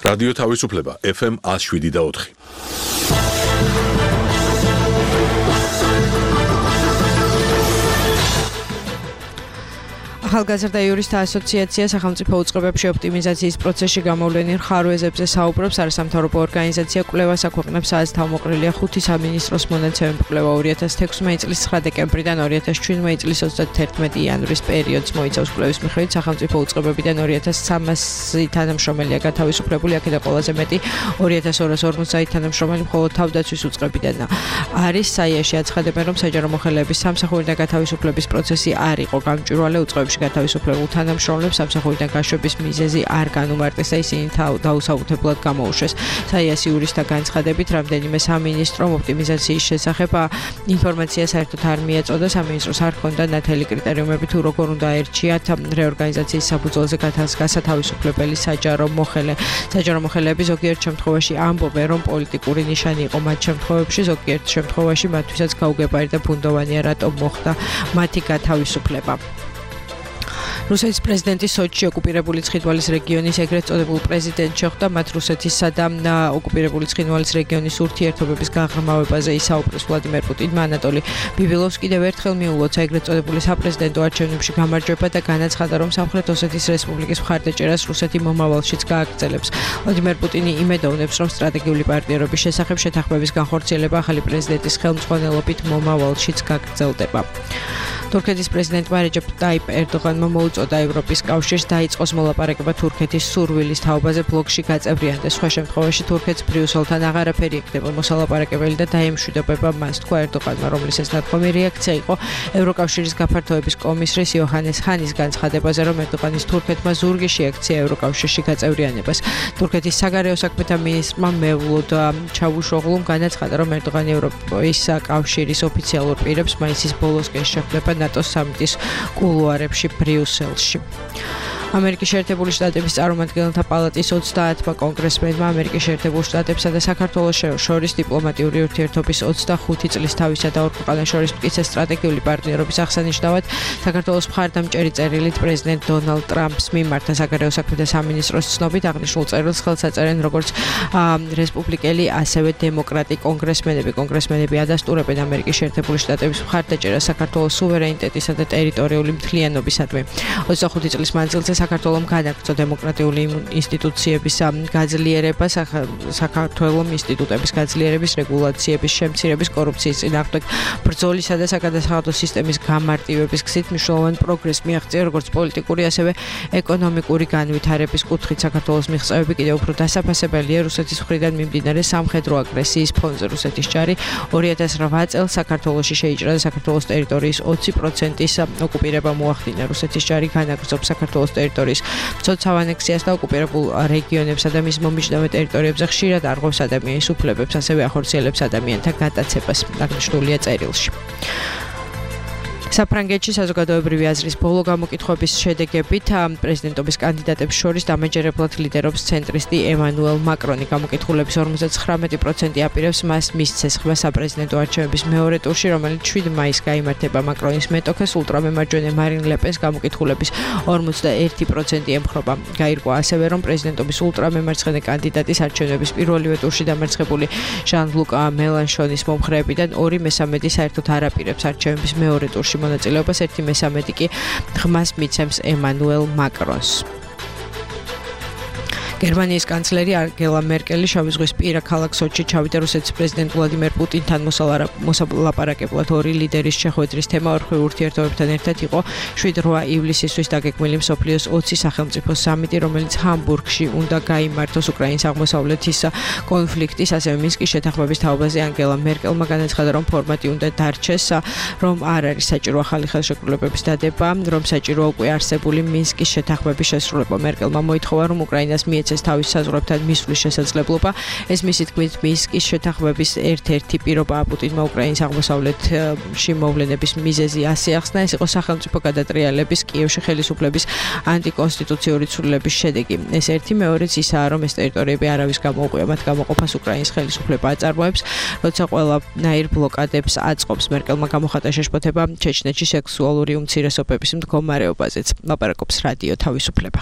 რადიო თავისუფლება FM 107.4. ახალგაზრდა იურისტთა ასოციაცია სახელმწიფო უწყებებში ოპტიმიზაციის პროცესში გამოვლენილ ხარვეზებზე საუბრობს. არასამთავრობო ორგანიზაცია კვლევას აქვეყნებს სადაც თავმოყრილია 5 სამინისტროს მონაცემები კვლევა 2016 წლის 9 დეკემბრიდან 2017 წლის 31 იანვრის პერიოდს მოიცავს. კვლევის მიხედვით სახელმწიფო უწყებებიდან 2300 თანამშრომელია გათავისუფლებული, აქედან ყველაზე მეტი 2250 თანამშრომელი მხოლოდ თავდაცვის უწყებიდან არის. საიაში აცხადებენ, რომ საჯარო მოხელეების სამსახურიდან გათავისუფლების პროცესი არ იყო გამჭვირვალე. უწყებებში გათავისუფლებულ თანამშრომლებს სამსახურიდან გაშვების მიზეზი არ განუმარტეს და ისინი დაუსაბუთებლად გამოუშვეს. საიას იურისტთა განცხადებით, რამდენიმე სამინისტრომ ოპტიმიზაციის შესახებ ინფორმაცია საერთოდ არ მიეწოდა. სამინისტროს არ ჰქონდა ნათელი კრიტერიუმები თუ როგორ უნდა აერჩიათ რეორგანიზაციის საფუძველზე გასათავისუფლებელი საჯარო მოხელე. საჯარო მოხელეები ზოგიერთ შემთხვევაში ამბობენ, რომ პოლიტიკური ნიშანი იყო მათ შემთხვევებში, ზოგიერთ შემთხვევაში მათთვისაც გაუგებარი და ბუნდოვანია, რატომ მოხდა მათი გათავისუფლება. რუსეთის პრეზიდენტი სოჩში ოკუპირებული ცხინვალის რეგიონის ეგრეთ წოდებულ პრეზიდენტს შეხვდა. მათ რუსეთისა და ოკუპირებული ცხინვალის რეგიონის ურთიერთობების გაღრმავებაზე ისაუბრეს ვლადიმერ პუტინმა. ანატოლი ბიბილოვს კიდევ ერთხელ მიულოცა ეგრეთ წოდებული საპრეზიდენტო არჩევნებში გამარჯვება და განაცხადა, რომ სამხრეთ ოსეთის რესპუბლიკის მხარდაჭერას რუსეთი მომავალშიც გააგრძელებს. ვლადიმერ პუტინი იმედოვნებს, რომ სტრატეგიული პარტნიორობის შესახებ შეთანხმების განხორციელება ახალი პრეზიდენტის ხელმძღვანელობით მომავალშიც გაგრძელდება. თურქეთის პრეზიდენტმა რეჯეპ ტაიპ ერდოღანმა მოუწოდა ევროპის კავშირს დაიწყოს მოლაპარაკება თურქეთის სურვილის თაობაზე ბლოკში გაწევრიანდეს. სხვა შემთხვევაში თურქეთს ბრიუსელთან აღარაფერი იქნება მოსალაპარაკებელი და დაემშვიდობება მას, თქვა ერდოღანმა, რომლის ეს ნათქვამი რეაქცია იყო ევროკავშირის გაფართოების კომისრის იოჰანეს ჰანის განცხადებაზე, რომ ერდოღანის თურქეთმა ზურგი შეაქცია ევროკავშირში გაწევრიანებას. თურქეთის საგარეო საქმეთა მინისტრმა მევლოდ ჩავუშოღლუმ განაცხადა, რომ ერდოღანი ევროპის კავშირის ოფიციალურ პირებს მაისის ბოლოსკენ შეხვდება ნატოს სამიტის კულუარებში ბრიუსელში. ამერიკის შეერთებული შტატების წარმომადგენელთა პალატის 30-მა კონგრესმენმა ამერიკის შეერთებულ შტატებსა და საქართველოს შორის დიპლომატიური ურთიერთობის 25 წლის თავისა და ორ ქვეყანას შორის მტკიცე სტრატეგიული პარტნიორობის აღსანიშნავად საქართველოს მხარდამჭერი წერილით პრეზიდენტ დონალდ ტრამპს მიმართა. საგარეო საქმეთა სამინისტროს ცნობით აღნიშნულ წერილს ხელს აწერენ როგორც რესპუბლიკელი, ასევე დემოკრატი კონგრესმენები. კონგრესმენები ადასტურებენ ამერიკის შეერთებული შტატების მხარდაჭერას საქართველოს სუვერენიტეტისა და ტერიტორიული მთლიანობისადმი. 25 წლის მანძილზე საქართველოს განაგრძო დემოკრატიული ინსტიტუციების გაძლიერება, საქართველოს ინსტიტუტების გაძლიერების, რეგულაციების შემცირების, კორუფციის წინააღმდეგ ბრძოლისა და საგადასახადო სისტემის გამარტივების გზით მნიშვნელოვანი პროგრესი მიაღწია როგორც პოლიტიკური, ასევე ეკონომიკური განვითარების კუთხით. საქართველოს მიღწევები კიდევ უფრო დასაფასებელია რუსეთის მხრიდან მიმდინარე სამხედრო აგრესიის ფონზე. რუსეთის ჯარი 2008 წელს საქართველოში შეიჭრა და საქართველოს ტერიტორიის 20%-ის ოკუპირება მოახდინა. რუსეთის ჯარი განაგრძობს საქართველოს ტერიტორიის მცოცავ ანექსიას და ოკუპირებულ რეგიონებსა და მის მომიჯნავე ტერიტორიებზე ხშირად არღვევს ადამიანის უფლებებს, ასევე ახორციელებს ადამიანთა გატაცებას, აღნიშნულია წერილში. საფრანგეთში საზოგადოებრივი აზრის ბოლო გამოკითხვების შედეგებით პრეზიდენტობის კანდიდატებს შორის დამაჯერებლად ლიდერობს ცენტრისტი ემანუელ მაკრონი. გამოკითხულების 59% აპირებს მას მისცეს ხმა საპრეზიდენტო არჩევნების მეორე ტურში, რომელიც 7 მაისს გაიმართება. მაკრონის მეტოქეს ულტრამემარჯვენე მარინ ლე-პენს გამოკითხულების 41% ემხრობა. გაირკვა ასევე, რომ პრეზიდენტობის ულტრამემარცხენე კანდიდატის არჩევნების პირველივე ტურში დამარცხებული ჟან-ლუკ მელანშონის მომხრეებიდან 2/3 საერთოდ არ აპირებს არჩევნების მეორე ტურში მონაწილეობას, 1/3 კი ღმას მიცემს ემანუელ მაკრონს. გერმანიის კანცლერი ანგელა მერკელი შავი ზღვის პირა ქალაქ სოჩში ჩავიდა რუსეთის პრეზიდენტ ვლადიმერ პუტინთან მოსალაპარაკებლად. ორი ლიდერის შეხვედრის თემა ორხრივ ურთიერთობებთან ერთად იყო 7-8 ივლისისთვის დაგეგმილი მსოფლიოს 20 სახელმწიფო სამიტი, რომელიც ჰამბურგში უნდა გაიმართოს. უკრაინის აღმოსავლეთის კონფლიქტის, ასევე მინსკის შეთანხმების თაობაზე ანგელა მერკელმა განაცხადა, რომ ფორმატი უნდა დარჩეს, რომ არ არის საჭირო ახალი ხელშეკრულებების დადება, რომ საჭიროა უკვე არსებული მინსკის შეთანხმების შესრულება. მერკელმა მოითხოვა, რომ უკრაინას მიეცეს თავის საზღვრებთან მისვლის შესაძლებლობა. ეს მისი თქმით მინსკის შეთანხმების ერთ-ერთი პირობაა. პუტინმა უკრაინის აღმოსავლეთში მოვლენების მიზეზი ასე ახსნა, ეს იყო სახელმწიფო გადატრიალების, კიევში ხელისუფლების ანტიკონსტიტუციური ცვლილების შედეგი. ეს ერთი მეორეც ისაა, რომ ეს ტერიტორიები არავის გამოუყვია, მათ გამოყოფას უკრაინის ხელისუფლება აწარმოებს, როცა ყველანაირ ბლოკადებს აწყობს. მერკელმა გამოხატა შეშფოთება ჩეჩნეთში სექსუალური უმცირესობების მდგომარეობაზეც. ლაპარაკობს რადიო თავისუფლება.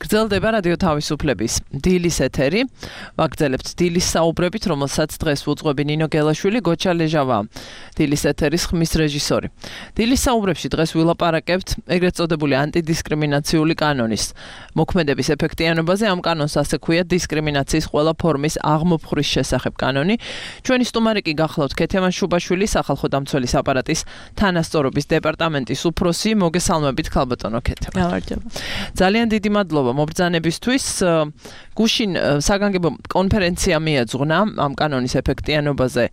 გრძელდება რადიო თავისუფლების დილის ეთერი. ვაგრძელებთ დილის საუბრებით, რომელსაც დღეს უძღვები ნინო გელაშვილი, გოჩა ლეჟავა, დილის ეთერის ხმის რეჟისორი. დილის საუბრებში დღეს ვილაპარაკებთ ეგრეთ წოდებული ანტიდისკრიმინაციული კანონის მოქმედების ეფექტიანობაზე. ამ კანონს ასე ქვია დისკრიმინაციის ყველა ფორმის აღმოფხვრის შესახებ კანონი. ჩვენი სტუმარი კი გახლავთ ქეთემან შუბაშვილი, სახალხო დამცველის აპარატის თანასწორობის დეპარტამენტის უფროსი. მოგესალმებით ქალბატონო ქეთემან. გამარჯობა. ძალიან დიდი მადლობა მობრძანებისთვის. გუშინ საგანგებო კონფერენცია მიეძღვნა ამ კანონის ეფექტიანობაზე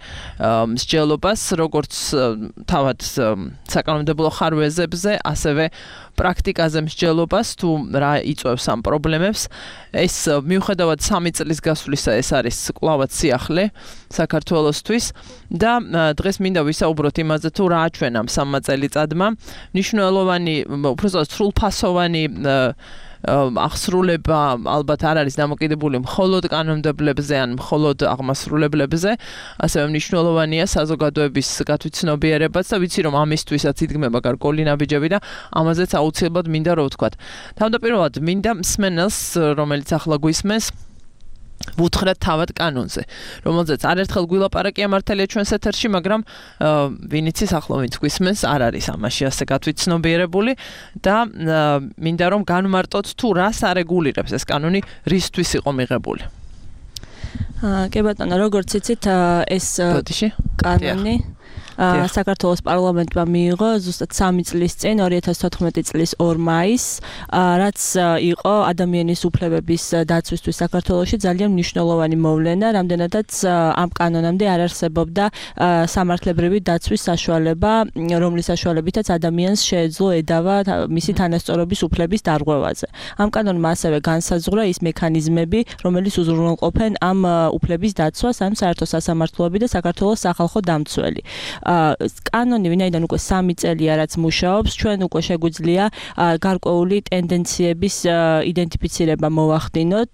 მსჯელობას, როგორც თავად საკანონმდებლო ხარვეზებზე, ასევე პრაქტიკაზე მსჯელობას, თუ რა იწვევს ამ პრობლემებს. ეს მიუხედავად 3 წლის გასვლისა, ეს არის კვლავაც სიახლე საქართველოსთვის და დღეს მინდა ვისაუბროთ იმაზე, თუ რა აჩვენა 3 წელიწადმა მნიშვნელოვანი, უბრალოდ სრულფასოვანი აღსრულება ალბათ არ არის დამოკიდებული მხოლოდ კანონმდებლებზე ან მხოლოდ აღმასრულებლებზე, ასევე მნიშვნელოვანია საზოგადოების გათვითცნობიერებაც და ვიცი რომ ამისთვისაც იდგმება გარკვეული ნაბიჯები და ამაზეც აუცილებლად მინდა რომ ვთქვათ. თავდაპირველად მინდა მსმენელს, რომელიც ახლა გვისმენს, ვუთხრათ თავად კანონზე, რომელზეც არერთხელ გვილაპარაკია მართალია ჩვენს ეთერში, მაგრამ ვინ იცის ახლა ვინც გვისმენს არ არის ამაში ასე გათვითცნობიერებული და მინდა რომ განმარტოთ თუ რას არეგულირებს ეს კანონი, რისთვის იყო მიღებული. კი ბატონო, როგორც იცით, ეს კანონი საქართველოს პარლამენტმა მიიღო ზუსტად 3 წლის წინ 2014 წლის 2 მაისს, რაც იყო ადამიანის უფლებების დაცვისთვის საქართველოში ძალიან მნიშვნელოვანი მოვლენა, რამდენადაც ამ კანონამდე არ არსებობდა სამართლებრივი დაცვის საშუალება, რომლის საშუალებითაც ადამიანს შეეძლო ედავა მისი თანასწორობის უფლების დარღვევაზე. ამ კანონმა ასევე განსაზღვრა ის მექანიზმები, რომელიც უზრუნველყოფენ ამ უფლების დაცვას, ამ საერთო სასამართლოები და საქართველოს სახალხო დამცველი. კანონი ვინაიდან უკვე 3 წელია რაც მუშაობს, ჩვენ უკვე შეგვიძლია გარკვეული ტენდენციების იდენტიფიცირება მოვახდინოთ,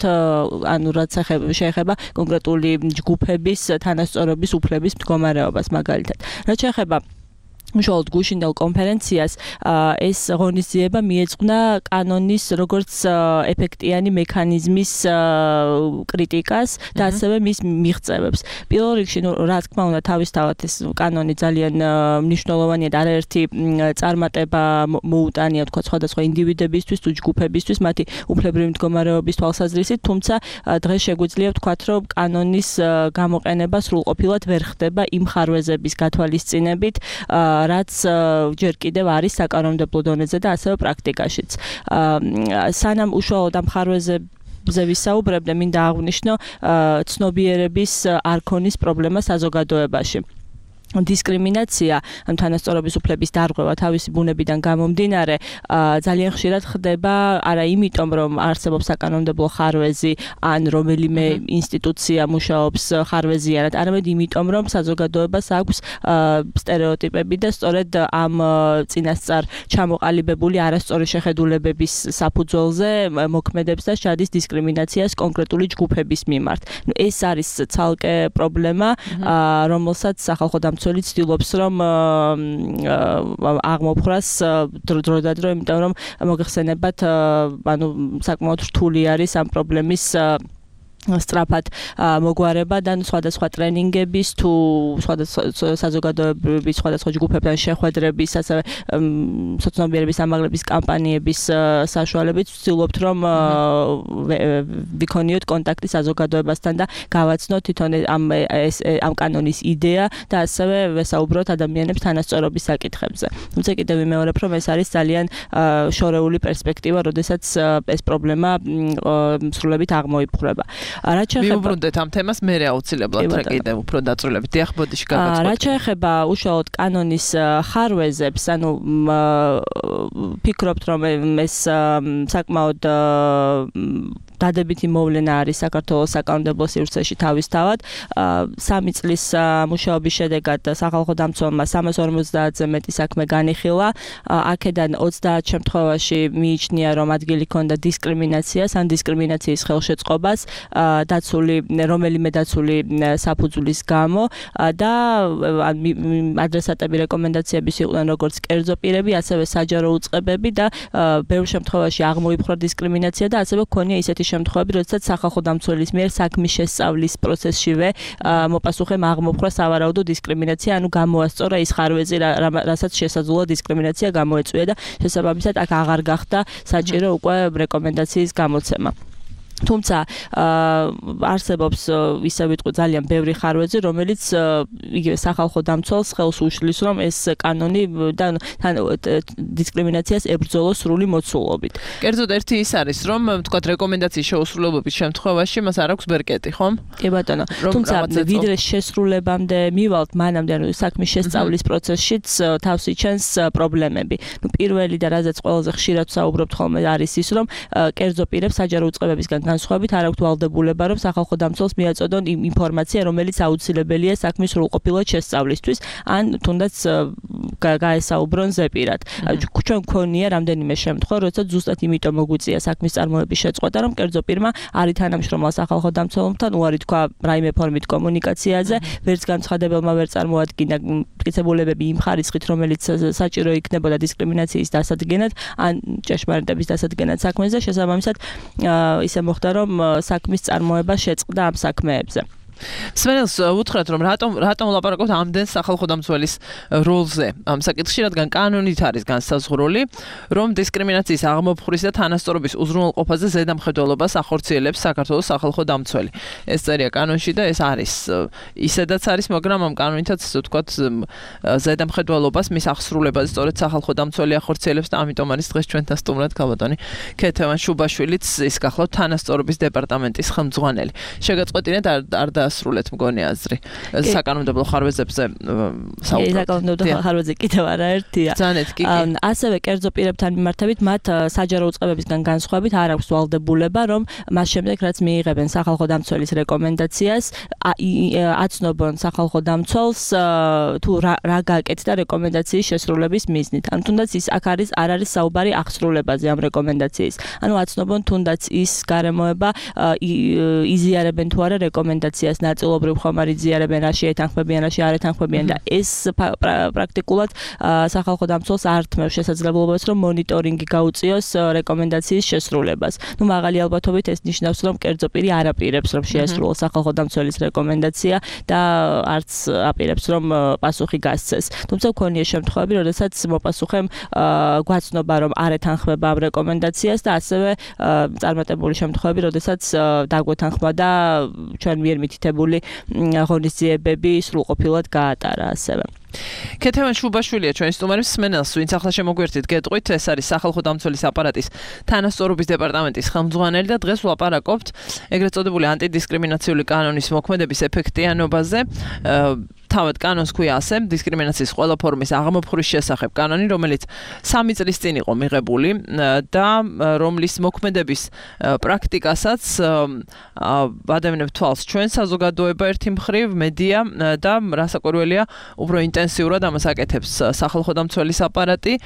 ანუ რაც შეეხება კონკრეტული ჯგუფების თანასწორობის უფლების მდგომარეობას მაგალითად. რაც შეეხება უშუალოდ გუშინდელ კონფერენციას, ეს ღონისძიება მიეძღვნა კანონის როგორც ეფექტიანი მექანიზმის კრიტიკას და ასევე მის მიღწევებს. პირველ რიგში, რა თქმა უნდა, თავისთავად ეს კანონი ძალიან მნიშვნელოვანია და არაერთი წარმატება მოუტანია, თქვა, სხვადასხვა ინდივიდებისთვის თუ ჯგუფებისთვის, მათი უფლებრივი მდგომარეობის თვალსაზრისით, თუმცა დღეს შეგვიძლია ვთქვათ, რომ კანონის გამოყენება სრულყოფილად ვერ ხდება იმ ხარვეზების გათვალისწინებით, რაც ჯერ კიდევ არის საკანონმდებლო დონეზე და ასევე პრაქტიკაშიც. სანამ უშუალოდ ამ ხარვეზებზე ვისაუბრებდე, მინდა აღვნიშნო ცნობიერების არ ქონის პრობლემა საზოგადოებაში. დისკრიმინაცია, ან თანასწორობის უფლების დარღვევა თავისი ბუნებიდან გამომდინარე, ძალიან ხშირად ხდება არა იმიტომ, რომ არსებობს საკანონმდებლო ხარვეზი, ან რომელიმე ინსტიტუცია მუშაობს ხარვეზიანად, არამედ იმიტომ, რომ საზოგადოებას აქვს სტერეოტიპები და სწორედ ამ წინასწარ ჩამოყალიბებული არასწორი შეხედულებების საფუძველზე მოქმედებს და შეადის დისკრიმინაციას კონკრეტული ჯგუფების მიმართ. ეს არის ცალკე პრობლემა, რომელსაც სახალხო დამცველი ცდილობს რომ აღმოფხვრას დროდადრო, იმიტომ რომ მოგეხსენებათ, ანუ საკმაოდ რთული არის ამ პრობლემის სწრაფად მოგვარება და სხვადასხვა ტრენინგების თუ სხვადასხვა საზოგადოებრივი სხვადასხვა ჯგუფებთან შეხვედრების, ასევე სოცნობიერების ამაღლების კამპანიების საშუალებით ვცდილობთ რომ ვიქონიოთ კონტაქტი საზოგადოებასთან და გავაცნოთ თვითონ ამ კანონის იდეა და ასევე ვესაუბროთ ადამიანებს თანასწორობის საკითხებზე. თუმცა კიდევ ვიმეორებ, რომ ეს არის ძალიან შორეული პერსპექტივა, როდესაც ეს პრობლემა სრულებით აღმოიფხვრება. მივუბრუნდეთ ამ თემას, მე აუცილებლად რა კიდევ უფრო დაწვრილებით. დიახ, ბოდიში გაგაცნობთ. რაც შეეხება უშუალოდ კანონის ხარვეზებს, ანუ ფიქრობთ, რომ ეს საკმაოდ დადებითი მოვლენა არის საქართველოს საკანონმდებლო სივრცეში თავისთავად. 3 წლის მუშაობის შედეგად სახალხო დამცველმა 350-ზე მეტი საქმე განიხილა. აქედან 30 შემთხვევაში მიიჩნია, რომ ადგილი ჰქონდა დისკრიმინაციას ან დისკრიმინაციის ხელშეწყობას, რომელიმე დაცული საფუძვლის გამო და ადრესატები რეკომენდაციების იყვნენ როგორც კერძო პირები, ასევე საჯარო უწყებები და ბევრ შემთხვევაში აღმოიფხვრა დისკრიმინაცია და ასევე ქონია ისეთი შემთხვევები, როდესაც სახალხო დამცველის მიერ საქმის შესწავლის პროცესშივე მოპასუხემ აღმოფხვრა სავარაუდო დისკრიმინაცია, ანუ გამოასწორა ის ხარვეზი, რასაც შესაძლოა დისკრიმინაცია გამოეწვია და შესაბამისად აქ აღარ გახდა საჭირო უკვე რეკომენდაციის გამოცემა. თუმცა არსებობს ისე ვიტყვი ძალიან ბევრი ხარვეზი, რომელიც იგივე სახალხო დამცველს ხელს უშლის, რომ ეს კანონი და დისკრიმინაციას ებრძოლოს სრული მოცულობით. კერძოდ ერთი ის არის, რომ თქვათ რეკომენდაციის შეუსრულებლობის შემთხვევაში მას არ აქვს ბერკეტი, ხომ? კი ბატონო. თუმცა ვიდრე შესრულებამდე მივალთ, მანამდე საქმის შესწავლის პროცესშიც თავს იჩენს პრობლემები. პირველი და რაზეც ყველაზე ხშირად ვსაუბრობთ ხოლმე არის ის, რომ კერძო პირებს საჯარო უწყებებისგან განსხვავებით არ აქვთ ვალდებულება, რომ სახალხო დამცველს მიაწოდონ ინფორმაცია, რომელიც აუცილებელია საქმის სრულყოფილად შესწავლისთვის, ან თუნდაც გაესაუბრონ ზეპირად. ჩვენ გქონია რამდენიმე შემთხვევა, როდესაც ზუსტად იმიტომ მოგვიწია საქმის წარმოების შეწყვეტა, რომ კერძო პირმა არის თანამშრომლა სახალხო დამცველთან უარი თქვა რაიმე ფორმით კომუნიკაციაზე, ვერც განცხადებელმა ვერ წარმოადგინა მტკიცებულებები იმ ხარისხით, რომელიც საჭირო იქნებოდა დისკრიმინაციის დასადგენად, ან ჭეშმარიტების დასადგენად საქმეზე, შესაბამისად ისე მოხდა, რომ საქმის წარმოება შეწყდა ამ საქმეებზე. სმენელს უთხრათ, რომ რატომ ვლაპარაკობთ ამდენ სახალხო დამცველის როლზე ამ საკითხში, რადგან კანონით არის განსაზღვრული, რომ დისკრიმინაციის აღმოფხვრის და თანასწორობის უზრუნველყოფაზე ზედამხედველობას ახორციელებს საქართველოს სახალხო დამცველი. ეს წერია კანონში და ეს არის ისედაც არის, მაგრამ ამ კანონითაც ვთქვათ ზედამხედველობას მის აღსრულებაზე სწორედ სახალხო დამცველი ახორციელებს და ამიტომ არის დღეს ჩვენთან სტუმრად ქალბატონი ქეთევან შუბაშვილიც ის გახლავთ თანასწორობის დეპარტამენტის ხელმძღვანელი. შეგაწყვეტინეთ არ დასრულეთ მგონი აზრი საკანონმდებლო ხარვეზებზე საუბრობთ. საკანონმდებლო ხარვეზზე კიდევ არაერთია. ძანეთ კი. ასევე კერძო პირებთან მიმართებით მათ საჯარო უწყებებისგან განსხვავებით არ აქვს ვალდებულება, რომ მას შემდეგ რაც მიიღებენ სახალხო დამცველის რეკომენდაციას, აცნობონ სახალხო დამცველს თუ რა გააკეთდა რეკომენდაციის შესრულების მიზნით. ან თუნდაც ის აქ არ არის საუბარი აღსრულებაზე ამ რეკომენდაციის. ანუ აცნობონ თუნდაც ის გარემოება იზიარებენ თუ არა რეკომენდაციას, ნაწილობრივ ხომ არ იზიარებენ, რაში ეთანხმებიან, რაში არ ეთანხმებიან და ეს პრაქტიკულად სახალხო დამცველს არ თმევს შესაძლებლობას, რომ მონიტორინგი გაუწიოს რეკომენდაციის შესრულებას. ნუ მაღალი ალბათობით ეს ნიშნავს, რომ კერძო პირი არ აპირებს, რომ შეესრულოს სახალხო დამცველის რეკომენდაცია და არც აპირებს, რომ პასუხი გასცეს. თუმცა ქონია შემთხვევები, როდესაც მოპასუხემ გვაცნობა, რომ არ ეთანხმება ამ რეკომენდაციას და ასევე წარმატებული შემთხვევები, როდესაც დაგვეთანხმა და ჩვენ მიერ მითითებული ღონისძიებები სრულყოფილად გაატარა ასევე. ქეთევან შუბაშვილია ჩვენი სტუმარი, სმენელს ვინც ახლა შემოგვერთით გეტყვით, ეს არის სახალხო დამცველის აპარატის თანასწორობის დეპარტამენტის ხელმძღვანელი და დღეს ვლაპარაკობთ ეგრეთ წოდებული ანტიდისკრიმინაციული კანონის მოქმედების ეფექტიანობაზე. თავად კანონს ქვია ასე, დისკრიმინაციის ყველა ფორმის აღმოფხვრის შესახებ კანონი, რომელიც 3 წლის წინ იყო მიღებული და რომლის მოქმედების პრაქტიკასაც ადამიანებს თვალს ჩვენ საზოგადოება ერთი მხრივ, მედია და რასაკვირველია, უფრო ინტენსიურად ამას აკეთებს სახალხო დამცველის აპარატი,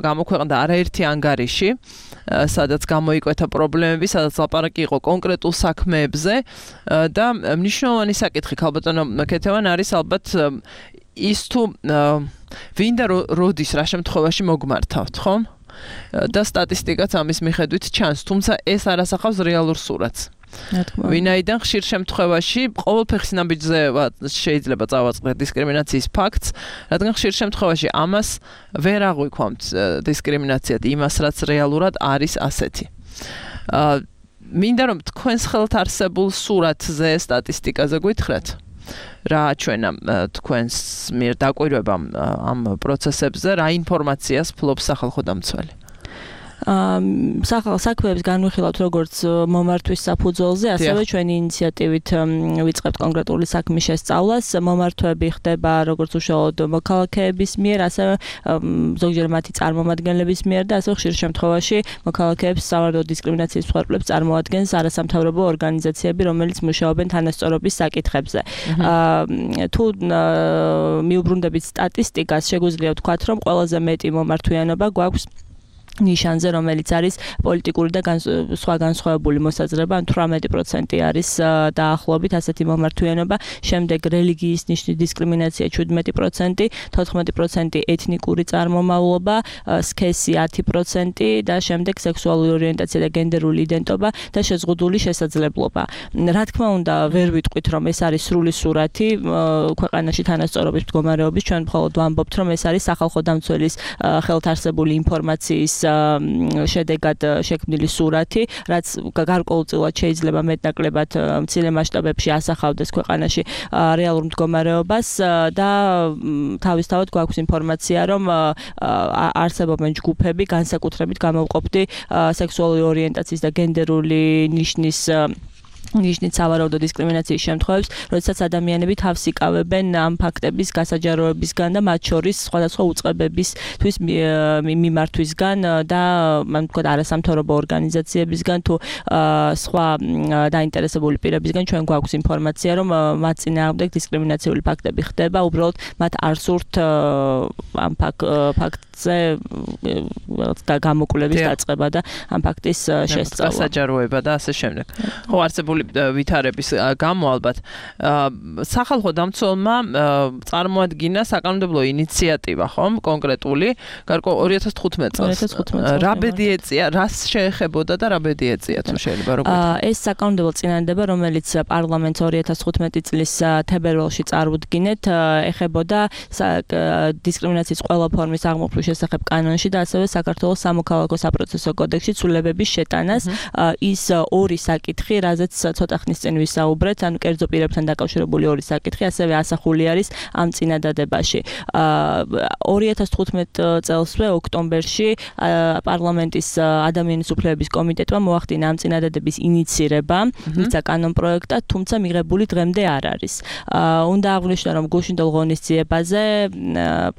გამოქვეყნდა არაერთი ანგარიში, სადაც გამოიკვეთა პრობლემები, სადაც ლაპარაკი იყო კონკრეტულ საქმეებზე და მნიშვნელოვანი საკითხი ქალბატონო ქეთევან არის ალბათ ის თუ ვინ და როდის რა შემთხვევაში მოგმართავთ, ხომ? და სტატისტიკაც ამის მიხედვით ჩანს, თუმცა ეს არ ასახავს რეალურ სურათს. ვინაიდან ხშირ შემთხვევაში ყოველ ფეხის ნაბიჯზე შეიძლება წავაწყდეთ დისკრიმინაციის ფაქტს, რადგან ხშირ შემთხვევაში ამას ვერ აღვიქვამთ დისკრიმინაციად იმას, რაც რეალურად არის ასეთი. მინდა რომ თქვენს ხელთ არსებულ სურათზე სტატისტიკაზე გითხრათ. რა ჩვენა თქვენს მიერ დაკვირვებამ ამ პროცესებზე, რა ინფორმაციას ფლობს სახალხო დამცველი? საქმეებს განვიხილავთ როგორც მომართვის საფუძველზე, ასევე ჩვენი ინიციატივით ვიწყებთ კონკრეტული საქმის შესწავლას. მომართვები ხდება როგორც უშუალოდ მოქალაქეების მიერ, ასევე ზოგჯერ მათი წარმომადგენლების მიერ და ასევე ხშირ შემთხვევაში მოქალაქეებს სავარაუდო დისკრიმინაციის მსხვერპლებს წარმოადგენს არასამთავრობო ორგანიზაციები, რომელიც მუშაობენ თანასწორობის საკითხებზე. თუ მიუბრუნდებით სტატისტიკას, შეგვიძლია ვთქვათ, რომ ყველაზე მეტი მომართვიანობა გვაქვს ნიშანზე, რომელიც არის პოლიტიკური და სხვა განსხვავებული მოსაზრება, 18% არის დაახლოებით ასეთი მომართვიანობა, შემდეგ რელიგიის ნიშნის დისკრიმინაცია 17%, 14% ეთნიკური წარმომავლობა, სქესი 10% და შემდეგ სექსუალური ორიენტაცია და გენდერული იდენტობა და შეზღუდული შესაძლებლობა. რა თქმა უნდა, ვერ ვიტყვით, რომ ეს არის სრული სურათი ქვეყანაში თანასწორობის მდგომარეობის, ჩვენ მხოლოდ ვამბობთ, რომ ეს არის სახალხო დამცველის ხელთ არსებული ინფორმაციის შედეგად შექმნილი სურათი, რაც გარკვეულწილად შეიძლება მეტნაკლებად მცირე მასშტაბებში ასახავდეს ქვეყანაში რეალურ მდგომარეობას და თავისთავად გვაქვს ინფორმაცია, რომ არსებობენ ჯგუფები, განსაკუთრებით გამოვყოფდი სექსუალური ორიენტაციის და გენდერული ნიშნის სავარაუდო დისკრიმინაციის შემთხვევებს, როდესაც ადამიანები თავს იკავებენ ამ ფაქტების გასაჯაროებისგან და მათ შორის სხვადასხვა უწყებებისთვის მიმართვისგან და თქვა არასამთავრობო ორგანიზაციებისგან თუ სხვა დაინტერესებული პირებისგან ჩვენ გვაქვს ინფორმაცია, რომ მათ წინააღმდეგ დისკრიმინაციული ფაქტები ხდება, უბრალოდ მათ არ სურთ ამ ფაქტზე გამოკვლევის დაწყება და ამ ფაქტის შესწავლა. გასაჯაროება და ასე შემდეგ. ხო, არსებული ვითარების გამო ალბათ სახალხო დამცველმა წარმოადგინა საკანონმდებლო ინიციატივა, ხომ, კონკრეტული, 2015 წელს. რა ბედი ეწია, რას შეეხებოდა და რა ბედი ეწია, თუ შეიძლება როგორ? ეს საკანონმდებლო წინადადება, რომელიც პარლამენტს 2015 წლის თებერვალში წარუდგინეთ, ეხებოდა დისკრიმინაციის ყველა ფორმის აღმოფხვის შესახებ კანონში და ასევე საქართველოს სამოქალაქო საპროცესო კოდექსში ცვლილებების შეტანას. ის ორი საკითხი, რაზეც ცოტა ხნის წინ ვისაუბრეთ, ანუ კერძო პირებთან დაკავშირებული ორი საკითხი, ასევე ასახული არის ამ წინადადებაში. 2015 წელსვე ოქტომბერში პარლამენტის ადამიანის უფლებების კომიტეტმა მოახდინა ამ წინადადების ინიცირება, მისცა კანონპროექტად, თუმცა მიღებული დღემდე არ არის. უნდა აღვნიშნო, რომ გუშინდელ ღონისძიებაზე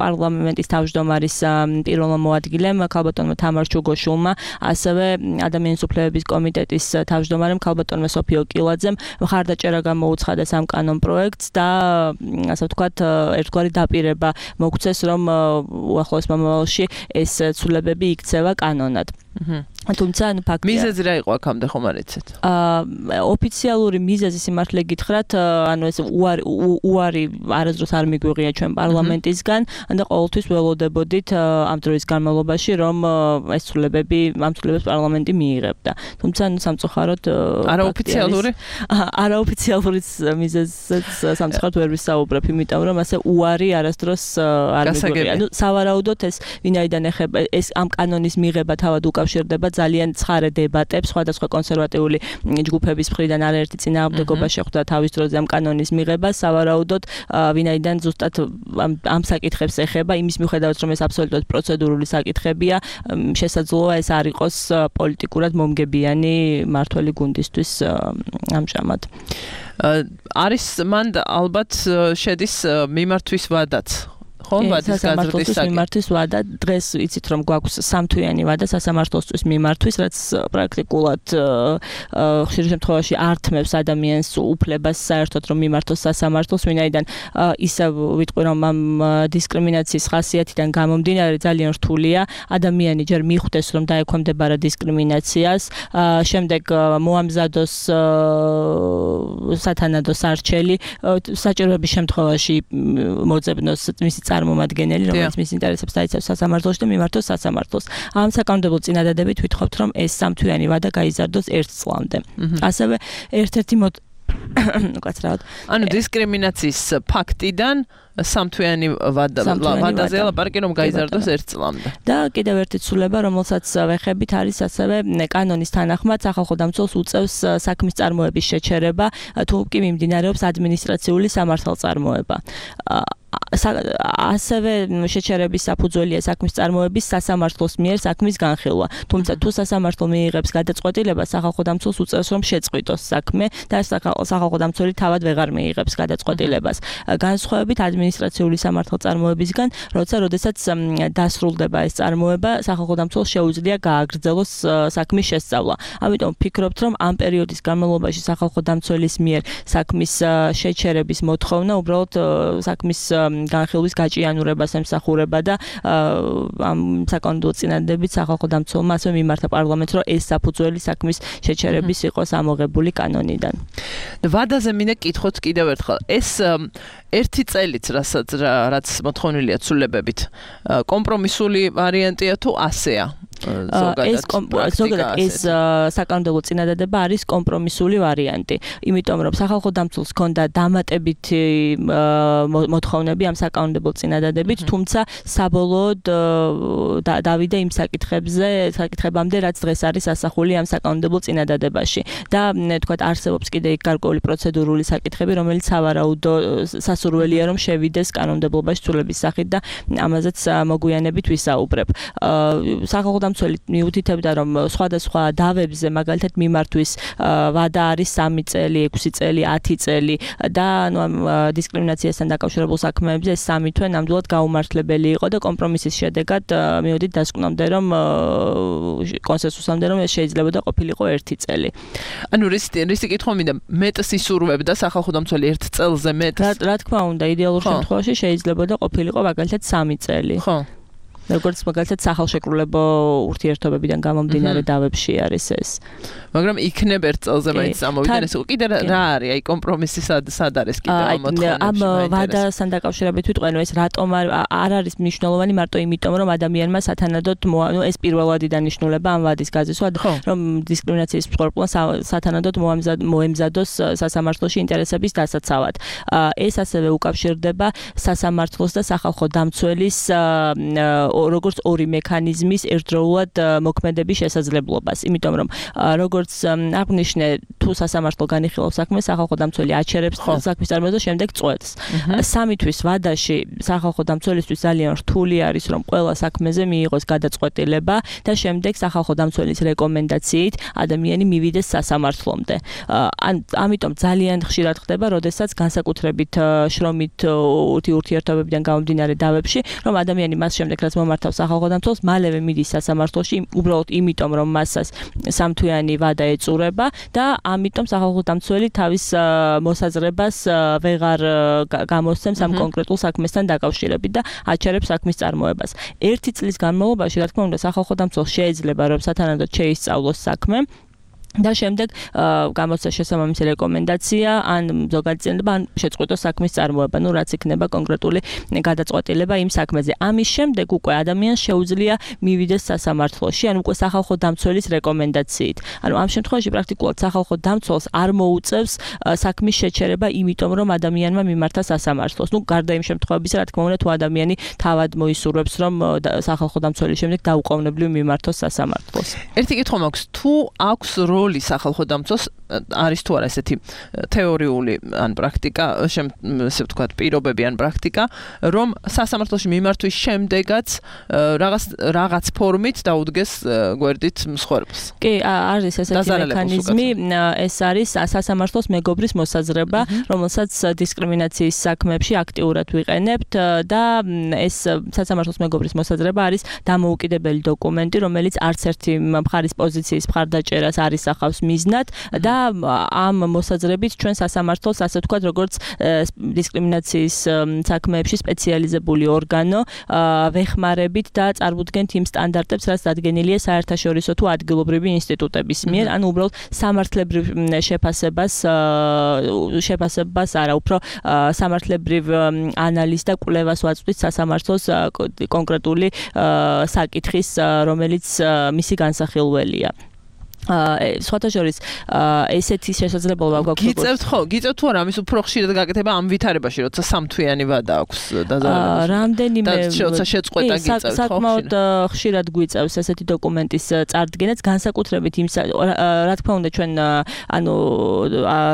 პარლამენტის თავმჯდომარის პირველმა მოადგილემ ქალბატონმა თამარ ჩუგოშულმა, ასევე ადამიანის უფლებების კომიტეტის თავმჯდომარემ ქალბატონმა სოფიო კილაძემ მხარდაჭერა გამოუცხადეს ამ კანონპროექტს და ასე ვთქვათ, ერთგვარი დაპირება მოგვცეს, რომ უახლოეს მომავალში ეს ცვლილებები იქცევა კანონად. თუმცა ანუ ფაქტია. მიზეზი რა იყო აქამდე ხომ არ იცით? ოფიციალური მიზეზი სიმართლე გითხრათ, ანუ ეს უარი არასდროს არ მიგვიღია ჩვენ პარლამენტისგან და ყოველთვის ველოდებოდით ამ დროის განმავლობაში, რომ ეს ცვლილებები ამ ცვლილებებს პარლამენტი მიიღებდა. თუმცა ანუ სამწუხაროდ არაოფიციალური მიზეზიც სამწუხაროდ ვერ ვისაუბრებ, იმიტომ რომ ასე უარი არასდროს არ მიგვიღია. ანუ სავარაუდოდ ეს ვინაიდან ეხება ეს ამ კანონის მიღება თავად უკავშირდება ძალიან ცხარე დებატებს, სხვადასხვა კონსერვატიული ჯგუფების მხრიდან არაერთი წინააღმდეგობა შეხვდა თავის დროზე ამ კანონის მიღებას, სავარაუდოდ ვინაიდან ზუსტად ამ საკითხებს ეხება, იმის მიუხედავად რომ ეს აბსოლუტურად პროცედურული საკითხებია, შესაძლოა ეს არ იყოს პოლიტიკურად მომგებიანი მართველი გუნდისთვის ამჟამად. არის მან ალბათ შედის მიმართვის ვადაც. ხომ ვადის გაზრდის მიმართვის ვადა, დღეს იცით რომ გვაქვს სამთვიანი ვადა სასამართლოსთვის მიმართვის, რაც პრაქტიკულად ხშირ შემთხვევაში ართმევს ადამიანს უფლებას საერთოდ რომ მიმართოს სასამართლოს, ვინაიდან ისევ ვიტყვი რომ ამ დისკრიმინაციის ხასიათიდან გამომდინარე ძალიან რთულია ადამიანი ჯერ მიხვდეს რომ დაექვემდებარა დისკრიმინაციას, შემდეგ მოამზადოს სათანადო სარჩელი, საჭიროების შემთხვევაში მოძებნოს მისი წარმომადგენელი, რომელიც მის ინტერესებს დაიცავს სასამართლოში და მიმართოს სასამართლოს. ამ საკანონმდებლო წინადადებით ვითხოვთ, რომ ეს სამთვიანი ვადა გაიზარდოს 1 წლამდე. ასევე ერთ-ერთი უკაცრავად. ანუ დისკრიმინაციის ფაქტიდან სამთვიანი ვადაზე ლაპარაკი რომ გაიზარდოს 1 წლამდე. და კიდევ ერთი ცვლილება, რომელსაც ვეხებით, არის ასევე კანონის თანახმად სახალხო დამცველს უწევს საქმის წარმოების შეჩერება, თუ კი მიმდინარეობს ადმინისტრაციული სამართალწარმოება. ასევე შეჩერების საფუძველია საქმის წარმოების სასამართლოს მიერ საქმის განხილვა. თუმცა თუ სასამართლო მიიღებს გადაწყვეტილებას, სახალხო დამცველს უწევს რომ შეწყვიტოს საქმე და სახალხო დამცველი თავად ვეღარ მიიღებს გადაწყვეტილებას. განსხვავებით ადმინისტრაციული სამართალწარმოებისგან, როდესაც დასრულდება ეს წარმოება, სახალხო დამცველს შეუძლია გააგრძელოს საქმის შესწავლა. ამიტომ ვფიქრობთ, რომ ამ პერიოდის განმავლობაში სახალხო დამცველის მიერ საქმის შეჩერების მოთხოვნა უბრალოდ საქმის განხილვის გაჭიანურებას ემსახურება და ამ საკანონმდებლო წინადადებით სახალხო დამცველმა ასევე მიმართა პარლამენტს, რომ ეს საფუძველი საქმის შეჩერების იყოს ამოღებული კანონიდან. ვადაზე მინდა კითხოთ კიდევ ერთხელ. ეს ერთი წელიც რაც მოთხოვნილია ცვლილებებით, კომპრომისული ვარიანტია თუ ასეა? ზოგადად ეს საკანონმდებლო წინადადება არის კომპრომისული ვარიანტი, იმიტომ რომ სახალხო დამცველს ჰქონდა დამატებითი მოთხოვნები ამ საკანონმდებლო წინადადებით, თუმცა საბოლოოდ დავიდა იმ საკითხებამდე, რაც დღეს არის ასახული ამ საკანონმდებლო წინადადებაში და თქვათ არსებობს კიდე იქ გარკვეული პროცედურული საკითხები, რომელიც სავარაუდო სასურველია რომ შევიდეს კანონმდებლობაში ცვლილების სახით და ამაზეც მოგვიანებით ვისაუბრებ. სახალხო დამცველი მიუთითებდა, რომ სხვადასხვა დავებზე, მაგალითად მიმართვის ვადა არის 3 წელი, 6 წელი, 10 წელი და ამ დისკრიმინაციასთან დაკავშირებულ საქმეებზე ეს 3 თვე ნამდვილად გაუმართლებელი იყო და კომპრომისის შედეგად მივედით დასკვნამდე, რომ კონსენსუსამდე, რომ ეს შეიძლება და ყოფილიყო 1 წელი. ანუ რისი კითხვა მინდა, მეტს ისურვებდა სახალხო დამცველი 1 წელზე მეტს? რა თქმა უნდა, იდეალურ შემთხვევაში შეიძლება და ყოფილიყო მაგალითად 3 წელი. ხო. როგორც მაგალითად სახალხოშეკრულებო ურთიერთობებიდან გამომდინარე დავებში არის ეს. მაგრამ იქნებ 1 წელზე მაინც ამოვიდნენ ეს კიდე რა არის? აი კომპრომისი სად არის კიდე ამ მოთხოვნებში? ამ ვადასთან დაკავშირებით ვიტყვენ, ეს რატომ არ არის მნიშვნელოვანი მარტო იმიტომ, რომ ადამიანმა სათანადოდ ეს პირველადი დანიშნულება ამ ვადის გაზისვა, რომ დისკრიმინაციის მსხვერპლმა სათანადოდ მოემზადოს სასამართლოში ინტერესების დასაცავად. ეს ასევე უკავშირდება სასამართლოს და სახალხო დამცველის როგორც ორი მექანიზმის ერთდროულად მოქმედების შესაძლებლობას, იმიტომ რომ როგორც აღნიშნე, თუ სასამართლო განიხილავს საქმეს, სახალხო დამცველი აჩერებს საქმის წარმოებას და შემდეგ წყვეტს. 3 თვის ვადაში სახალხო დამცველისთვის ძალიან რთული არის, რომ ყველა საქმეზე მიიღოს გადაწყვეტილება და შემდეგ სახალხო დამცველის რეკომენდაციით ადამიანი მივიდეს სასამართლომდე. ამიტომ ძალიან ხშირად ხდება, როდესაც განსაკუთრებით შრომით ურთიერთობებიდან გამომდინარე დავებში, რომ ადამიანი მას შემდეგ რაც მომართავს სახალხო დამცველს, მალევე მიდის სასამართლოში, უბრალოდ იმიტომ, რომ მასას სამთვიანი ვადა ეწურება და ამიტომ სახალხო დამცველი თავის მოსაზრებას ვეღარ გამოსცემს ამ კონკრეტულ საქმესთან დაკავშირებით და აჩერებს საქმის წარმოებას. 1 წლის განმავლობაში, რა თქმა უნდა, სახალხო დამცველს შეიძლება რომ სათანადოდ შეისწავლოს საქმე და შემდეგ გამოსცა შესაბამისი რეკომენდაცია ან ზოგადი წინადადება ან შეწყვეტოს საქმის წარმოება, ну რაც იქნება კონკრეტული გადაწყვეტილება იმ საქმეზე. ამის შემდეგ უკვე ადამიანს შეუძლია მივიდეს სასამართლოში, ან უკვე სახალხო დამცველის რეკომენდაციით. ანუ ამ შემთხვევაში პრაქტიკულად სახალხო დამცველს არ მოუწევს საქმის შეჩერება, იმიტომ რომ ადამიანმა მიმართა სასამართლოს. ну გარდა იმ შემთხვევებისა, რა თქმა უნდა, თუ ადამიანი თავად მოისურვებს, რომ სახალხო დამცველის შემდეგ დაუყოვნებლივ მიმართოს სასამართლოს. ერთი კითხვა მაქვს, თუ აქვს როლი სახალხო დამცველს, არის თუ არა ესეთი თეორიული ან პრაქტიკა, ესე ვთქვათ, პირობები ან პრაქტიკა, რომ სასამართლოში მიმართვის შემდეგაც რაღაც ფორმით დაუდგეს გვერდით მსხვერპლს. კი, არის ესეთი მექანიზმი, ეს არის სასამართლოს მეგობრის მოსაზრება, რომელსაც დისკრიმინაციის საქმეებში აქტიურად ვიყენებთ და ეს სასამართლოს მეგობრის მოსაზრება არის დამოუკიდებელი დოკუმენტი, რომელიც არც ერთი მხარის პოზიციის მხარდაჭერას არ ისახავს მიზნად და ამ მოსაზრებით ჩვენ სასამართლოს, ასე ვთქვათ, როგორც დისკრიმინაციის საქმეებში სპეციალიზებული ორგანო ვეხმარებით და წარუდგენთ იმ სტანდარტებს, რაც დადგენილია საერთაშორისო თუ ადგილობრივი ინსტიტუტების მიერ, ანუ უბრალოდ სამართლებრივ შეფასებას არა, უფრო სამართლებრივ ანალიზს და კვლევას ვაწვდით სასამართლოს კონკრეტული საკითხის, რომელიც მისი განსახილველია. სხვათა შორის ესეთი შესაძლებლობა გვაქვს. გიწევთ თუ არა, ამის უფრო ხშირად გაკეთება ამ ვითარებაში, როცა სამთვიანი ვადა აქვს დაზარალებული. რამდენიმე როცა შეწყვეტა გიწევთ, საკმაოდ ხშირად გვიწევს ესეთი დოკუმენტის წარდგენაც, განსაკუთრებით იმ რა თქმა უნდა ჩვენ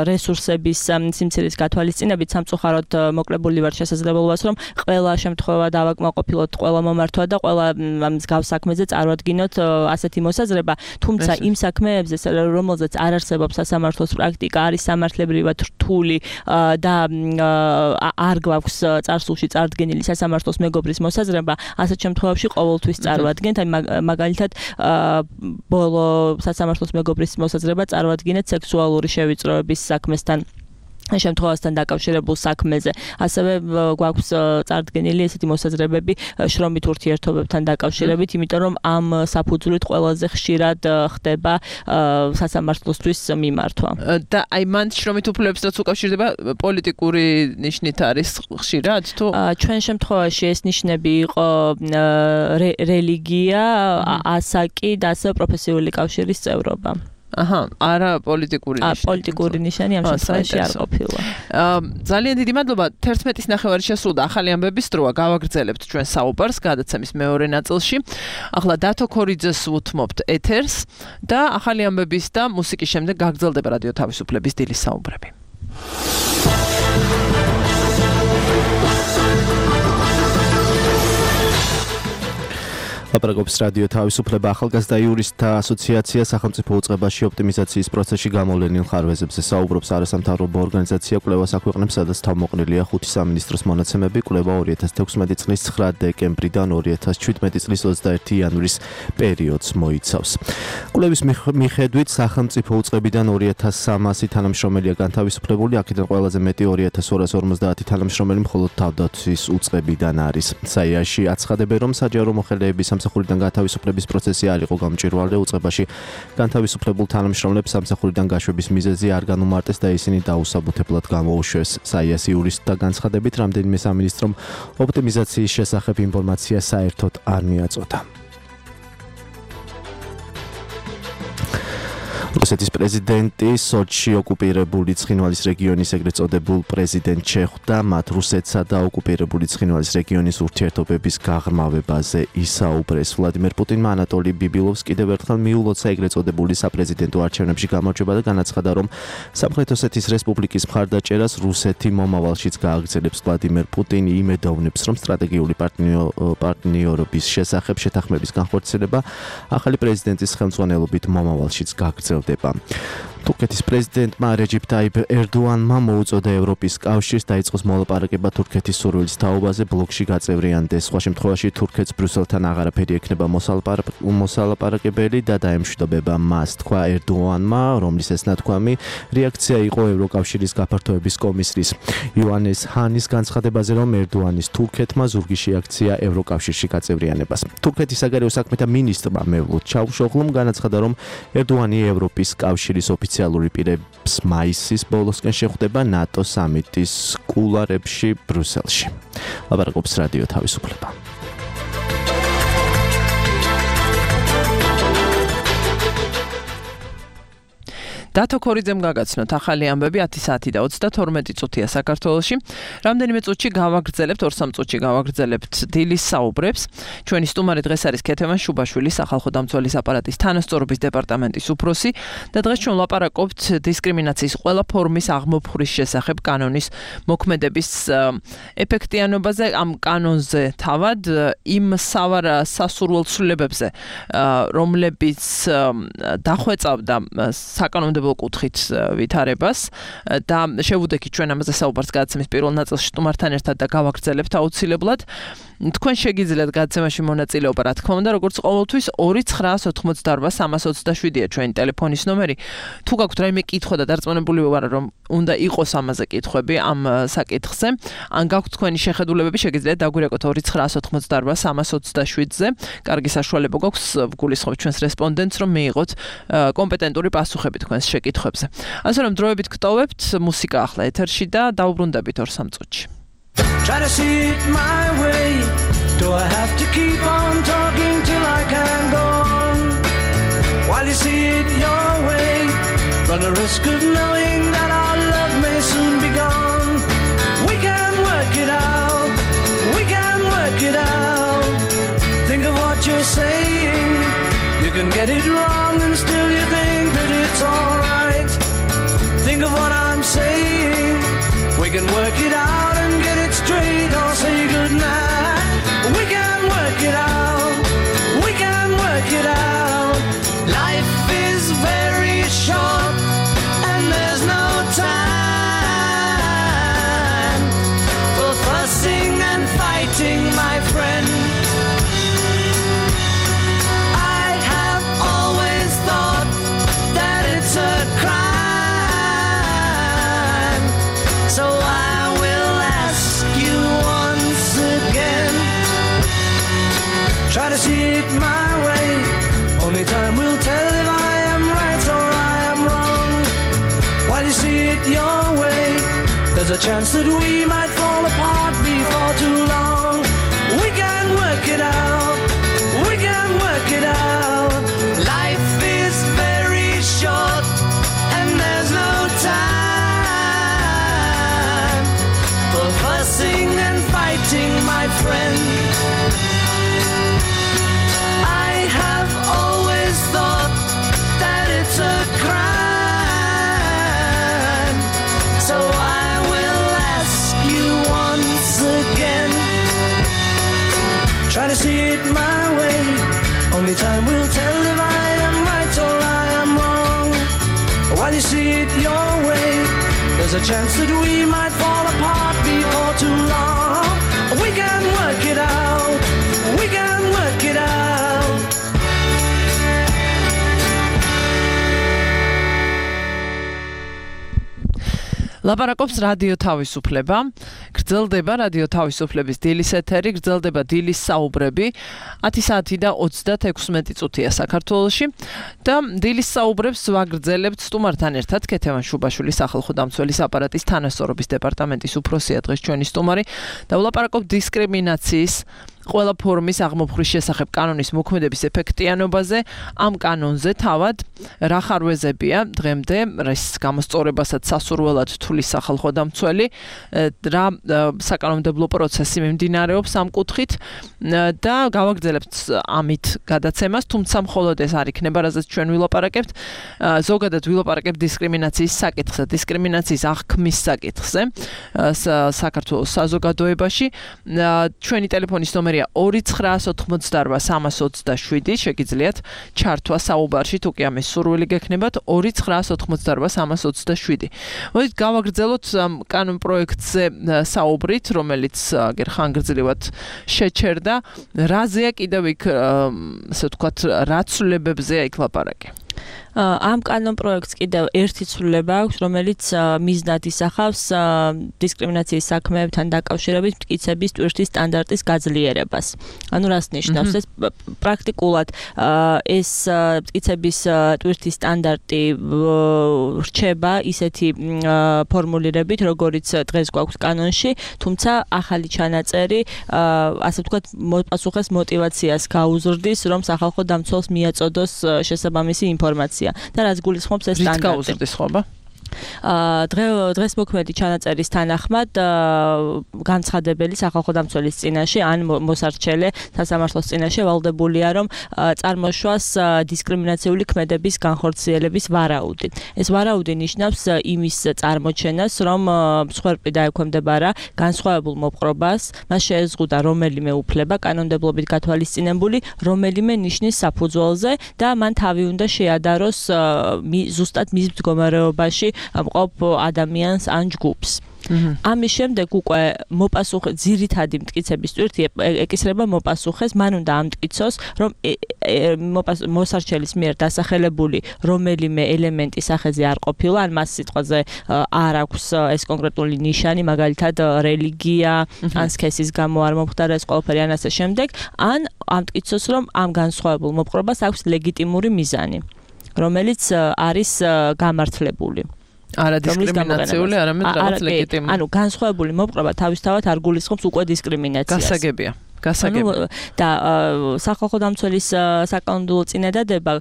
რესურსების სიმცირის გათვალისწინებით სამწუხაროდ მოკლებული ვარ შესაძლებლობას, რომ ყველა შემთხვევა დავაკმაყოფილოთ, ყველა მომართვა და ყველა მსგავს საქმეზე წარვადგინოთ ასეთი მოსაზრება, თუმცა იმ საქმეებზე, რომელზეც არ არსებობს სასამართლოს პრაქტიკა, არის სამართლებრივად რთული და არ გვაქვს წარსულში წარდგენილი სასამართლოს მეგობრის მოსაზრება, ასეთ შემთხვევებში ყოველთვის წარვადგენთ, მაგალითად ბოლო სასამართლოს მეგობრის მოსაზრება წარვადგინეთ სექსუალური შევიწროების საქმესთან შემთხვევასთან დაკავშირებულ საქმეზე. ასევე გვაქვს წარდგენილი ესეთი მოსაზრებები შრომით ურთიერთობებთან დაკავშირებით, იმიტომ რომ ამ საფუძვლით ყველაზე ხშირად ხდება სასამართლოსთვის მიმართვა. და აი მან შრომით უფლებებსაც უკავშირდება პოლიტიკური ნიშნით არის ხშირად თუ ჩვენ შემთხვევაში ეს ნიშნები იყო რელიგია, ასაკი და ასევე პროფესიული კავშირის წევრობა. არა პოლიტიკური ნიშანი. პოლიტიკური ნიშანი ამ შემთხვევაში არ ყოფილა. ძალიან დიდი მადლობა. 11-ის ნახევარი შესრულდა ახალი ამბების დროა. გავაგრძელებთ ჩვენ საუბარს გადაცემის მეორე ნაწილში. ახლა დათო ქორიძეს უთმობთ ეთერს და ახალი ამბების და მუსიკის შემდეგ გაგრძელდება რადიო თავისუფლების დილის საუბრები. ლაპარაკობს რადიო თავისუფლება. ახალგაზრდა იურისტთა ასოციაცია სახელმწიფო უწყებაში ოპტიმიზაციის პროცესში გამოვლენილ ხარვეზებზე საუბრობს. არასამთავრობო ორგანიზაცია კვლევას აქვეყნებს, სადაც თავმოყრილია 5 სამინისტროს მონაცემები. კვლევა 2016 წლის 9 დეკემბრიდან 2017 წლის 21 იანვრის პერიოდს მოიცავს. კვლევის მიხედვით სახელმწიფო უწყებიდან 2300 თანამშრომელია განთავისუფლებული, აქედან ყველაზე მეტი 2250 თანამშრომელი მხოლოდ თავდაცვის უწყებიდან არის. საიაში აცხადებენ, რომ საჯარო მოხელეების სამსახურიდან განთავისუფლების პროცესი არ იყო გამჭვირვალე, უწყებაში განთავისუფლებულ თანამშრომლებს სამსახურიდან გაშვების მიზეზი არ განუმარტეს და ისინი დაუსაბუთებლად გამოუშვეს. საიას იურისტთა განცხადებით, რამდენიმე სამინისტრომ ოპტიმიზაციის შესახებ ინფორმაცია საერთოდ არ მიაწოდა. რუსეთის პრეზიდენტი სოჩში ოკუპირებული ცხინვალის რეგიონის ეგრეთ წოდებულ პრეზიდენტს შეხვდა, მათ რუსეთსა და ოკუპირებული ცხინვალის რეგიონის ურთიერთობების გაღრმავებაზე ისაუბრეს. ვლადიმერ პუტინმა ანატოლი ბიბილოვს კიდევ ერთხელ მიულოცა ეგრეთ წოდებული საპრეზიდენტო არჩევნებში გამარჯვება და განაცხადა, რომ სამხრეთ ოსეთის რესპუბლიკის მხარდაჭერას რუსეთი მომავალშიც გააგრძელებს. ვლადიმერ პუტინი იმედოვნებს, რომ სტრატეგიული პარტნიორობის შესახებ შეთანხმების განხორციელება ახალი პრეზიდენტის ხელმძღვანელობით მომავალშიც გააგრძელდება. თურქეთის პრეზიდენტმა რეჯიპ ტაიპ ერდოანმა მოუწოდა ევროპის კავშირს დაიწყოს მოლაპარაკება თურქეთის სურვილის თაობაზე ბლოკში გაწევრიანდეს. სხვა შემთხვევაში თურქეთს ბრიუსელთან აღარაფერი ექნება მოსალაპარაკებელი და დაემშვიდობება მას, თქვა ერდოანმა, რომლის ეს ნათქვამი რეაქცია იყო ევროკავშირის გაფართოების კომისრის იოანეს ჰანის განცხადებაზე, რომ ერდოანის თურქეთმა ზურგი შეაქცია ევროკავშირში გაწევრიანებას. თურქეთის საგარეო საქმეთა მინისტრმა მევლութ ჩავუშოღლუმ განაცხადა, რომ ერდოანი ევროპის კავშირის ოფიციალური პირებს მაისის ბოლოსკენ შეხვდება ნატო სამიტის კულუარებში ბრიუსელში. ლაპარაკობს რადიო თავისუფლება. დათო ქორიძემ გაგაცნოთ ახალი ამბები 10 საათი და 32 წუთია საქართველოში. რამდენიმე წუთში გავაგრძელებთ, 2-3 წუთში გავაგრძელებთ დილის საუბრებს. ჩვენი სტუმარი დღეს არის ქეთემან შუბაშვილი, სახალხო დამცველის აპარატის თანასწორობის დეპარტამენტის უფროსი და დღეს ჩვენ ლაპარაკობთ დისკრიმინაციის ყველა ფორმის აღმოფხვრის შესახებ კანონის მოქმედების ეფექტიანობაზე, ამ კანონზე თავად იმ სასურველ ცვლილებებზე, რომლებიც დახვეწავდა საკანონმდებლო კუთხით ვითარებას და შევუდექით ჩვენ ამაზე საუბარს გადაცემის პირველ ნაწილში სტუმართან ერთად და გავაგრძელებთ აუცილებლად. თქვენ შეგიძლიათ გადაცემაში მონაწილეობა, რა თქმა უნდა, როგორც ყოველთვის 2988327-ია ჩვენი ტელეფონის ნომერი. თუ გაქვთ რაიმე კითხვა და დარწმუნებული ვარ, რომ უნდა იყოს ამაზე კითხვები ამ საკითხზე, ან გაქვთ თქვენი შეხედულებები, შეგიძლიათ დაგვირეკოთ 2988327-ზე. კარგი საშუალება გვაქვს ვგულისხმობთ ჩვენს რესპონდენტს, რომ მიიღოთ კომპეტენტური პასუხები თქვენს შეკითხვებზე. ასე რომ დროებით გტოვებთ, მუსიკა ახლა ეთერში და დაუბრუნდებით 2-3 წუთში. Try to see it my way. Do I have to keep on talking till I can go on? While you see it your run a risk of knowing that our love may soon be gone. We can work it out, we can work it out. Think of what you're saying. You can get it wrong and still you think that it's alright. Think of what I'm saying. We can work it out and get it straight or say goodnight. We can work it out, we can work it out. Life is very short and there's no time for fussing and fighting, my friend. I have always thought that it's a crime, so I will ask you once again. Try to see it my way. Only time will tell if I am right or I am wrong. While you see it your way, there's a chance that we might fall apart before too long. We can work it out, we can work it out. Life is very short and there's no time for fussing and fighting, my friend. I have always thought that it's a crime, so I will ask you once again. Try to see it my way. Only time will tell if I am right or I am wrong. While you see it your way, there's a chance that we might fall apart before too long. We can work it out, we can work it out. ლაპარაკობს რადიო თავისუფლება. გრძელდება რადიო თავისუფლების დილის ეთერი, გრძელდება დილის საუბრები. 10 საათი და 36 წუთია საქართველოში და დილის საუბრებს ვაგრძელებთ სტუმართან ერთად. ქეთევან შუბაშვილის სახალხო დამცველის აპარატის თანასწორობის დეპარტამენტის უფროსია დღეს ჩვენი სტუმარი და ვლაპარაკობთ დისკრიმინაციის ყველა ფორმის აღმოფხვრის შესახებ კანონის მოქმედების ეფექტიანობაზე. ამ კანონზე თავად რა ხარვეზებია დღემდე, რის გამოსწორებასაც სასურველად თulis სახალხო დამცველი, რა საკანონმდებლო პროცესი მიმდინარეობს ამ კუთხით და გავაგრძელებთ ამით გადაცემას, თუმცა მხოლოდ ეს არ იქნება, რაზეც ჩვენ ვილაპარაკებთ. ზოგადად ვილაპარაკებთ დისკრიმინაციის საკითხზე, დისკრიმინაციის აღქმის საკითხზე საქართველოს საზოგადოებაში. ჩვენი ტელეფონის ნომერი 2988327 შეგიძლიათ ჩართვა საუბარში, თუ კი ამის სურვილი გექნებათ 2988327. მოდით გავაგრძელოთ კანონ პროექტზე საუბრით, რომელიც ხანგრძლივად შეჩერდა. რაზეა კიდევ იქ, ასე ვთქვათ, რა ცვლილებებზეა იქ ლაპარაკი? ამ კანონ პროექტს კიდევ ერთი ცვლილება აქვს, რომელიც მიზნად ისახავს დისკრიმინაციის საქმეებთან დაკავშირებით მტკიცების ტვირთის სტანდარტის გაძლიერებას. ანუ რას ნიშნავს ეს პრაქტიკულად ეს მტკიცების ტვირთის სტანდარტი რჩება ისეთი ფორმულირებით, როგორც დღეს გვაქვს კანონში, თუმცა ახალი ჩანაწერი, ასე ვთქვათ, პასუხეს мотивაციას გაუზრდის, რომ სახალხო დამცველს მიაწოდოს შესაბამისი ინფორმაცია. და რაც გულისხმობს ეს სტანდარტი. რით გაუზრდის ხობა? დღეს მოქმედი ჩანაწერის თანახმად განცხადებელი სახალხო დამცველის წინაშე ან მოსარჩელე სასამართლოს წინაშე ვალდებულია, რომ წარმოშვას დისკრიმინაციული ქმედების განხორციელების ვარაუდი. ეს ვარაუდი ნიშნავს იმის წარმოჩენას, რომ მსხვერპლი დაექვემდებარა განსხვავებულ მოპყრობას, მას შეეზღუდა რომელიმე უფლება კანონმდებლობით გათვალისწინებული რომელიმე ნიშნის საფუძველზე და მან თავი უნდა შეადაროს ზუსტად მის მდგომარეობაში მყოფ ადამიანს ან ჯგუფს. ამის შემდეგ უკვე ძირითადი მტკიცების ტვირთი ეკისრება მოპასუხეს, მან უნდა ამტკიცოს, რომ მოსარჩელის მიერ დასახელებული რომელიმე ელემენტი სახეზე არ ყოფილა, ან მას სიტყვაზე არ აქვს ეს კონკრეტული ნიშანი, მაგალითად რელიგია, ან სქესის გამო არ მომხდარა ეს ყველაფერი ან ასე შემდეგ, ან ამტკიცოს, რომ ამ განსხვავებულ მოპყრობას აქვს ლეგიტიმური მიზანი, რომელიც არის გამართლებული. არა დისკრიმინაციული, არამედ რაღაც ლეგიტიმური. ანუ განსხვავებული მოპყრობა თავისთავად არ გულისხმობს უკვე დისკრიმინაციას. გასაგებია. გასაგებია. და სახალხო დამცველის საკანონმდებლო წინადადება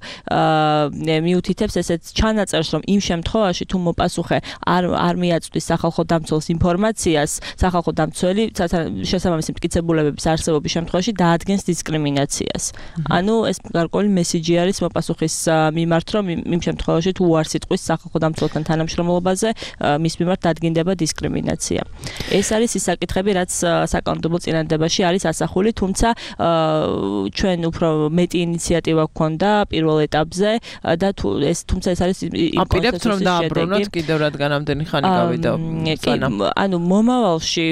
მიუთითებს ესეც ჩანაწერს, რომ იმ შემთხვევაში თუ მოპასუხე არ მიაწვდის სახალხო დამცველს ინფორმაციას, სახალხო დამცველი შესაბამისი მტკიცებულებების არსებობის შემთხვევაში დაადგენს დისკრიმინაციას. ანუ ეს გარკვეული მესიჯი არის მოპასუხის მიმართ, რომ იმ შემთხვევაში თუ უარს იტყვის სახალხო დამცველთან თანამშრომლობაზე, მის მიმართ დადგინდება დისკრიმინაცია. ეს არის ის საკითხები, რაც საკანონმდებლო წინადადებაში არის ასახული, თუმცა ჩვენ უფრო მეტი ინიციატივა გქონდა პირველ ეტაპზე და თუმცა ეს არის აპირებთ რომ დააბრუნოთ კიდევ რადგან ამდენი ხანი გავიდა. ანუ მომავალში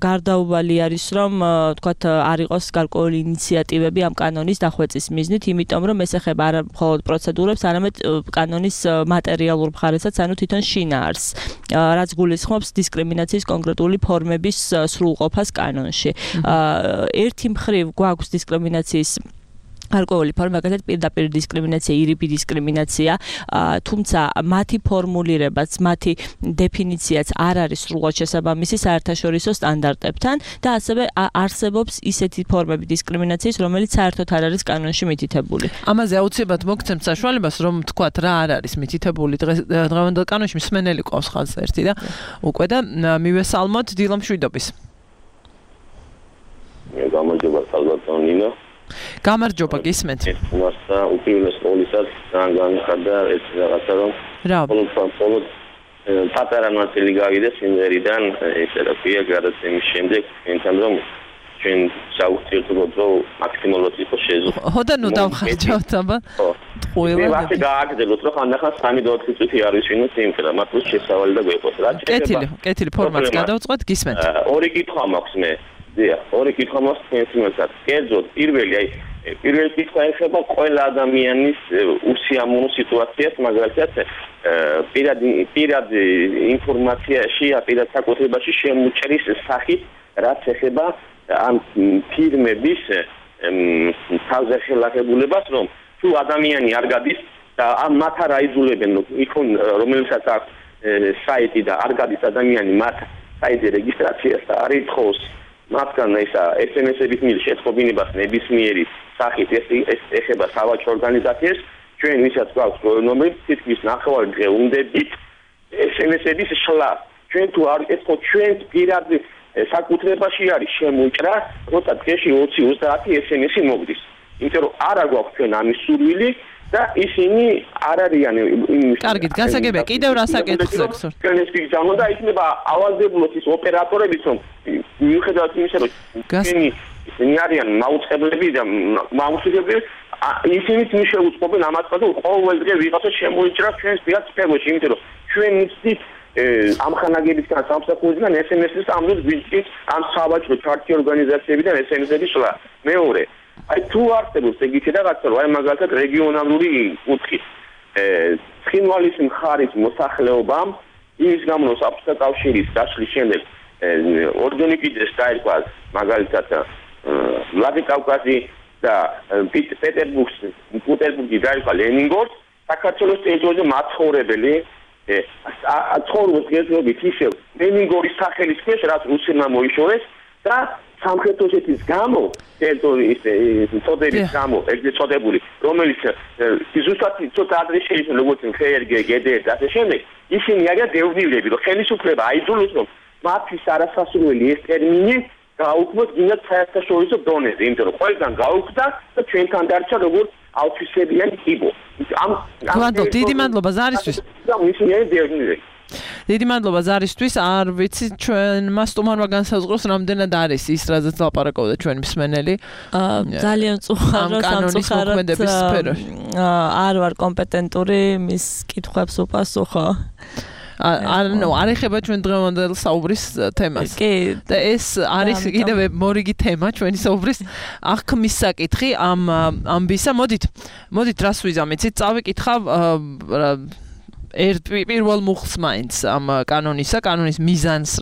გარდაუვალი არის რომ თქვათ არ იყოს გარკვეული ინიციატივები ამ კანონის დახვეწის მიზნით, იმიტომ რომ ეს ეხება არა მხოლოდ პროცედურებს, არამედ კანონის მატერიალურ მხარესაც, ანუ თვითონ შინაარსს, რაც გულისხმობს დისკრიმინაციის კონკრეტული ფორმების სრულყოფას კანონში. ერთი მხრივ გვაქვს დისკრიმინაციის გარკვეული ფორმა, მაგალითად პირდაპირ დისკრიმინაცია, ირიბი დისკრიმინაცია, თუმცა მათი ფორმულირებაც, მათი დეფინიციაც არ არის სრულად შესაბამისი საერთაშორისო სტანდარტებთან და ასევე არსებობს ისეთი ფორმები დისკრიმინაციის, რომელიც საერთოდ არ არის კანონში მითითებული. ამაზე აუცილებლად მოგცემთ საშუალებას, რომ თქვათ რა არ არის მითითებული დღევანდელ კანონში, მსმენელი ყავს ხაზზე ერთი და უკვე და მივესალმოთ დილა მშვიდობის. გამარჯობა სალვატონინო. გამარჯობა გისმენთ. მასა უპირველეს ყოვლისა ძალიან განიხარდა ეს რაღაცა რომ მხოლოდ პატარა ნაწილი გავიდეს სიმღერიდან ესე რა ქვია გადაცემის შემდეგ ენთან რომ ჩვენ საუბრობთ რომ მაქსიმალურად იყოს შეზღუდული. ხო და ნუ დავხარჯავთ აბა. ყველა მე ვაფშე გააგრძელოთ რომ ხანდახან 3-4 წუთი არ ვისვინოთ სიმღერა, მათ რო შესავალი და გვეყოს რა. კეთილი ფორმატს გადავწყვეტ გისმენთ. ორი კითხვა მაქვს მე. ორი კითხვა მაქვს თემსაც. კერძოდ პირველი კითხვა ეხება ყველა ადამიანის უსიამოვნო სიტუაციას, მაგალითად პირადი ინფორმაციაში, პირად საკუთრებაში შემოჭრის სახით, რაც ეხება ამ ფირმების თავზე ხელახებულებას, რომ თუ ადამიანი არ გადის და მათ არ აიძულებენ, რომელსაც აქვს საიტი და არ გადის ადამიანი მათ საიტზე რეგისტრაციას და არ ითხოვს მათგან ისა SMS-ების მიერ შეწყობინებას ნებისმიერი სახით ეს ეხება სავაჭრო ორგანიზაციებს, ჩვენ ვისაც გვაქვს ნომერი თითქმის ნახევარი დღე უნდებით SMS-ების შლა. ჩვენ თუ არ ეთქოთ ჩვენს პირად საკუთრებაში არის შემოჭრა, როცა დღეში 20-30 SMS-ი მოგდის. იმიტომ რომ არა გვაქვს ჩვენ ამის სურვილი და ისინი არ არიან იმის. კარგით, გასაგებია, კიდევ რა საკითხს აქვს? ჩვენ ეს გიგზავნა და იქნება ავალდებულოთ ის ოპერატორებიც, რომ მიუხედავად იმისა, რომ ისინი არიან მაუწყებლები და მაუსულიებლები, ისინიც მის შეუწყობენ ამას, რომ ყოველ დღე ვიღაცა შემოიჭრას ჩვენს პირად სფეროში, იმიტომ რომ ჩვენ მივწვით ამ ხანაგებისგან სამსახურისგან SMS-ს ამბობს ვიჭით ამ სავაჭრო ჩარტი ორგანიზაციებიდან SMS-ების შლა. მეორე აი თუ არსებობს ეგეთი რაღაცა, რომ აი მაგალითად რეგიონალური კუთხით ცხინვალის მხარის მოსახლეობამ იმის გამო რომ საბჭოთა კავშირის დაშლის შემდეგ ორგანიკიძეს დაერქვა მაგალითად ვლადიკავკაზი და პეტერბურგი დაერქვა ლენინგრადს, საქართველოს ტერიტორიაზე მაცხოვრებელი ცხოვრობს გეზრობით ისევ ლენინგრადის სახელის ქვეშ, რაც რუსებმა მოიშორეს და სამხრეთ ოსეთის გამო ტერიტორიის წოდების გამო ეგრეთ წოდებული, რომელიც ზუსტად ცოტა ადრე შეიძლება როგორც ხერგე გედე და ასე შემდეგ, ისინი არიან დევნილები, რომ ხელისუფლება აიძულოს, რომ მათთვის არასასურველი ეს ტერმინი გაუქმოთ გინდა საერთაშორისო დონეზე, იმიტომ რომ ყველგან გაუქმდა და ჩვენთან დარჩა როგორც აუთვისებიანი კიბო. გვანდობ, დიდი მადლობა ზარისთვის. ისინი არიან დევნილები. დიდი მადლობა ზარისთვის. არ ვიცი ჩვენმა სტუმარმა განსაზღვროს რამდენად არის ის, რაზეც ლაპარაკობდა ჩვენი მსმენელი. ძალიან წუხარო სამწუხაროდ არ ვარ კომპეტენტური მის კითხვებს უპასუხო. არ ეხება ჩვენ დღევანდელ საუბრის თემას. და ეს არის კიდევ მორიგი თემა ჩვენი საუბრის აღქმის საკითხი ამ ამბისა. მოდით რას ვიზამეცით? წავიკითხავ პირველ მუხლს მაინც ამ კანონის მიზანს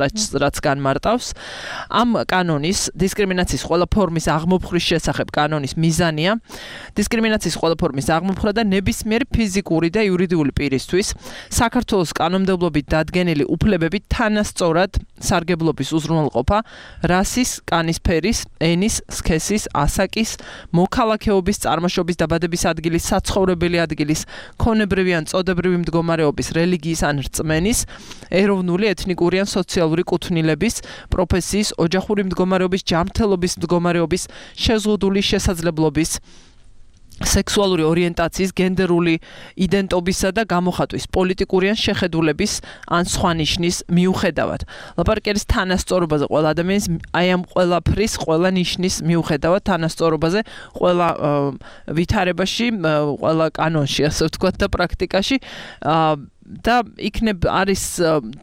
რაც განმარტავს. ამ კანონის დისკრიმინაციის ყველა ფორმის აღმოფხრის შესახებ კანონის მიზანია დისკრიმინაციის ყველა ფორმის აღმოფხვრა და ნებისმიერი ფიზიკური და იურიდიული პირისთვის საქართველოს კანონმდებლობით დადგენილი უფლებები თანასწორად სარგებლობის უზრუნველყოფა რასის, კანისფერის, ენის, სქესის, ასაკის, მოქალაქეობის, წარმოშობის, დაბადების ადგილის, საცხოვრებელი ადგილის, ქონებრივი ან წოდებრივი მდგომარეობის, რელიგიის ან რწმენის, ეროვნული, ეთნიკური ან სოციალური კუთვნილების, პროფესიის, ოჯახური მდგომარეობის, ჯანმრთელობის მდგომარეობის, შეზღუდული შესაძლებლობის, სექსუალური ორიენტაციის, გენდერული იდენტობისა და გამოხატვის, პოლიტიკური ან შეხედულების ან სხვა ნიშნის მიუხედავად. ლაპარაკი არის თანასწორობაზე ყველა ადამიანის აი ამ ყველაფრის, ყველა ნიშნის მიუხედავად თანასწორობაზე ყველა ვითარებაში, ყველა კანონში, ასე ვთქვათ და პრაქტიკაში და იქნებ არის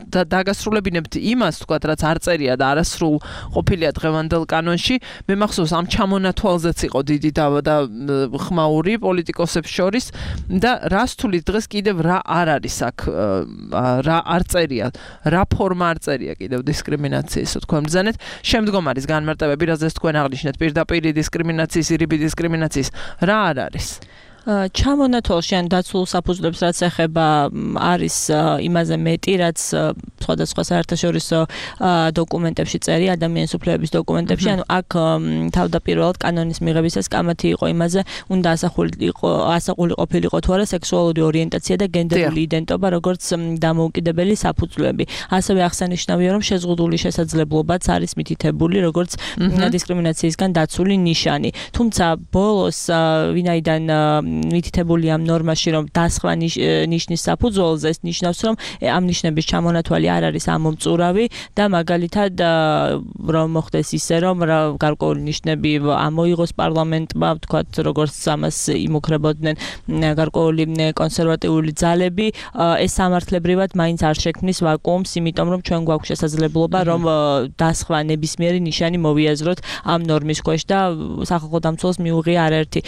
დაგასრულებინებთ იმას, თქვათ, რაც არ წერია და არასრულ ყოფილია დღევანდელ კანონში. მე მახსოვს ამ ჩამონათვალზეც იყო დიდი და ხმაური პოლიტიკოსებს შორის და რას თulis დღეს კიდევ რა არ არის აქ, რა არ წერია, რა ფორმა არ წერია კიდევ დისკრიმინაციის, თქვენ ბრძანეთ. შემდგომ არის განმარტებები, რაზეც თქვენ აღნიშნეთ, პირდაპირ დისკრიმინაციის, ირიბი დისკრიმინაციის, რა არ არის? ჩამონათვალში ან დაცულ საფუძვლებს რაც ეხება არის იმაზე მეტი, რაც სხვადასხვა საერთაშორისო დოკუმენტებში წერია, ადამიანის უფლებების დოკუმენტებში, ანუ აქ თავდაპირველად კანონის მიღებისას კამათი იყო იმაზე, უნდა ასაყული ყოფილიყო თუ არა სექსუალური ორიენტაცია და გენდერული იდენტობა, როგორც დამოუკიდებელი საფუძვლები. ასევე აღსანიშნავია, რომ შეზღუდული შესაძლებლობაც არის მითითებული, როგორც დისკრიმინაციისგან დაცული ნიშანი. თუმცა ბოლოს ვინაიდან მითითებული ამ ნორმაში, რომ დასხვა ნიშნის საფუძველზე ეს ნიშნავს, რომ ამ ნიშნების ჩამონათვალი არ არის ამომწურავი და მაგალითად რომ მოხდეს ისე, რომ გარკვეული ნიშნები ამოიღოს პარლამენტმა, ვთქვათ, როგორც ამას იმუქრებოდნენ გარკვეული კონსერვატიული ძალები, ეს სამართლებრივად მაინც არ შექმნის ვაკუუმს, იმიტომ რომ ჩვენ გვაქვს შესაძლებლობა, რომ დასხვა ნებისმიერი ნიშანი მოვიაზროთ ამ ნორმის ქვეშ და სახალხო დამცველს მიუღია არაერთი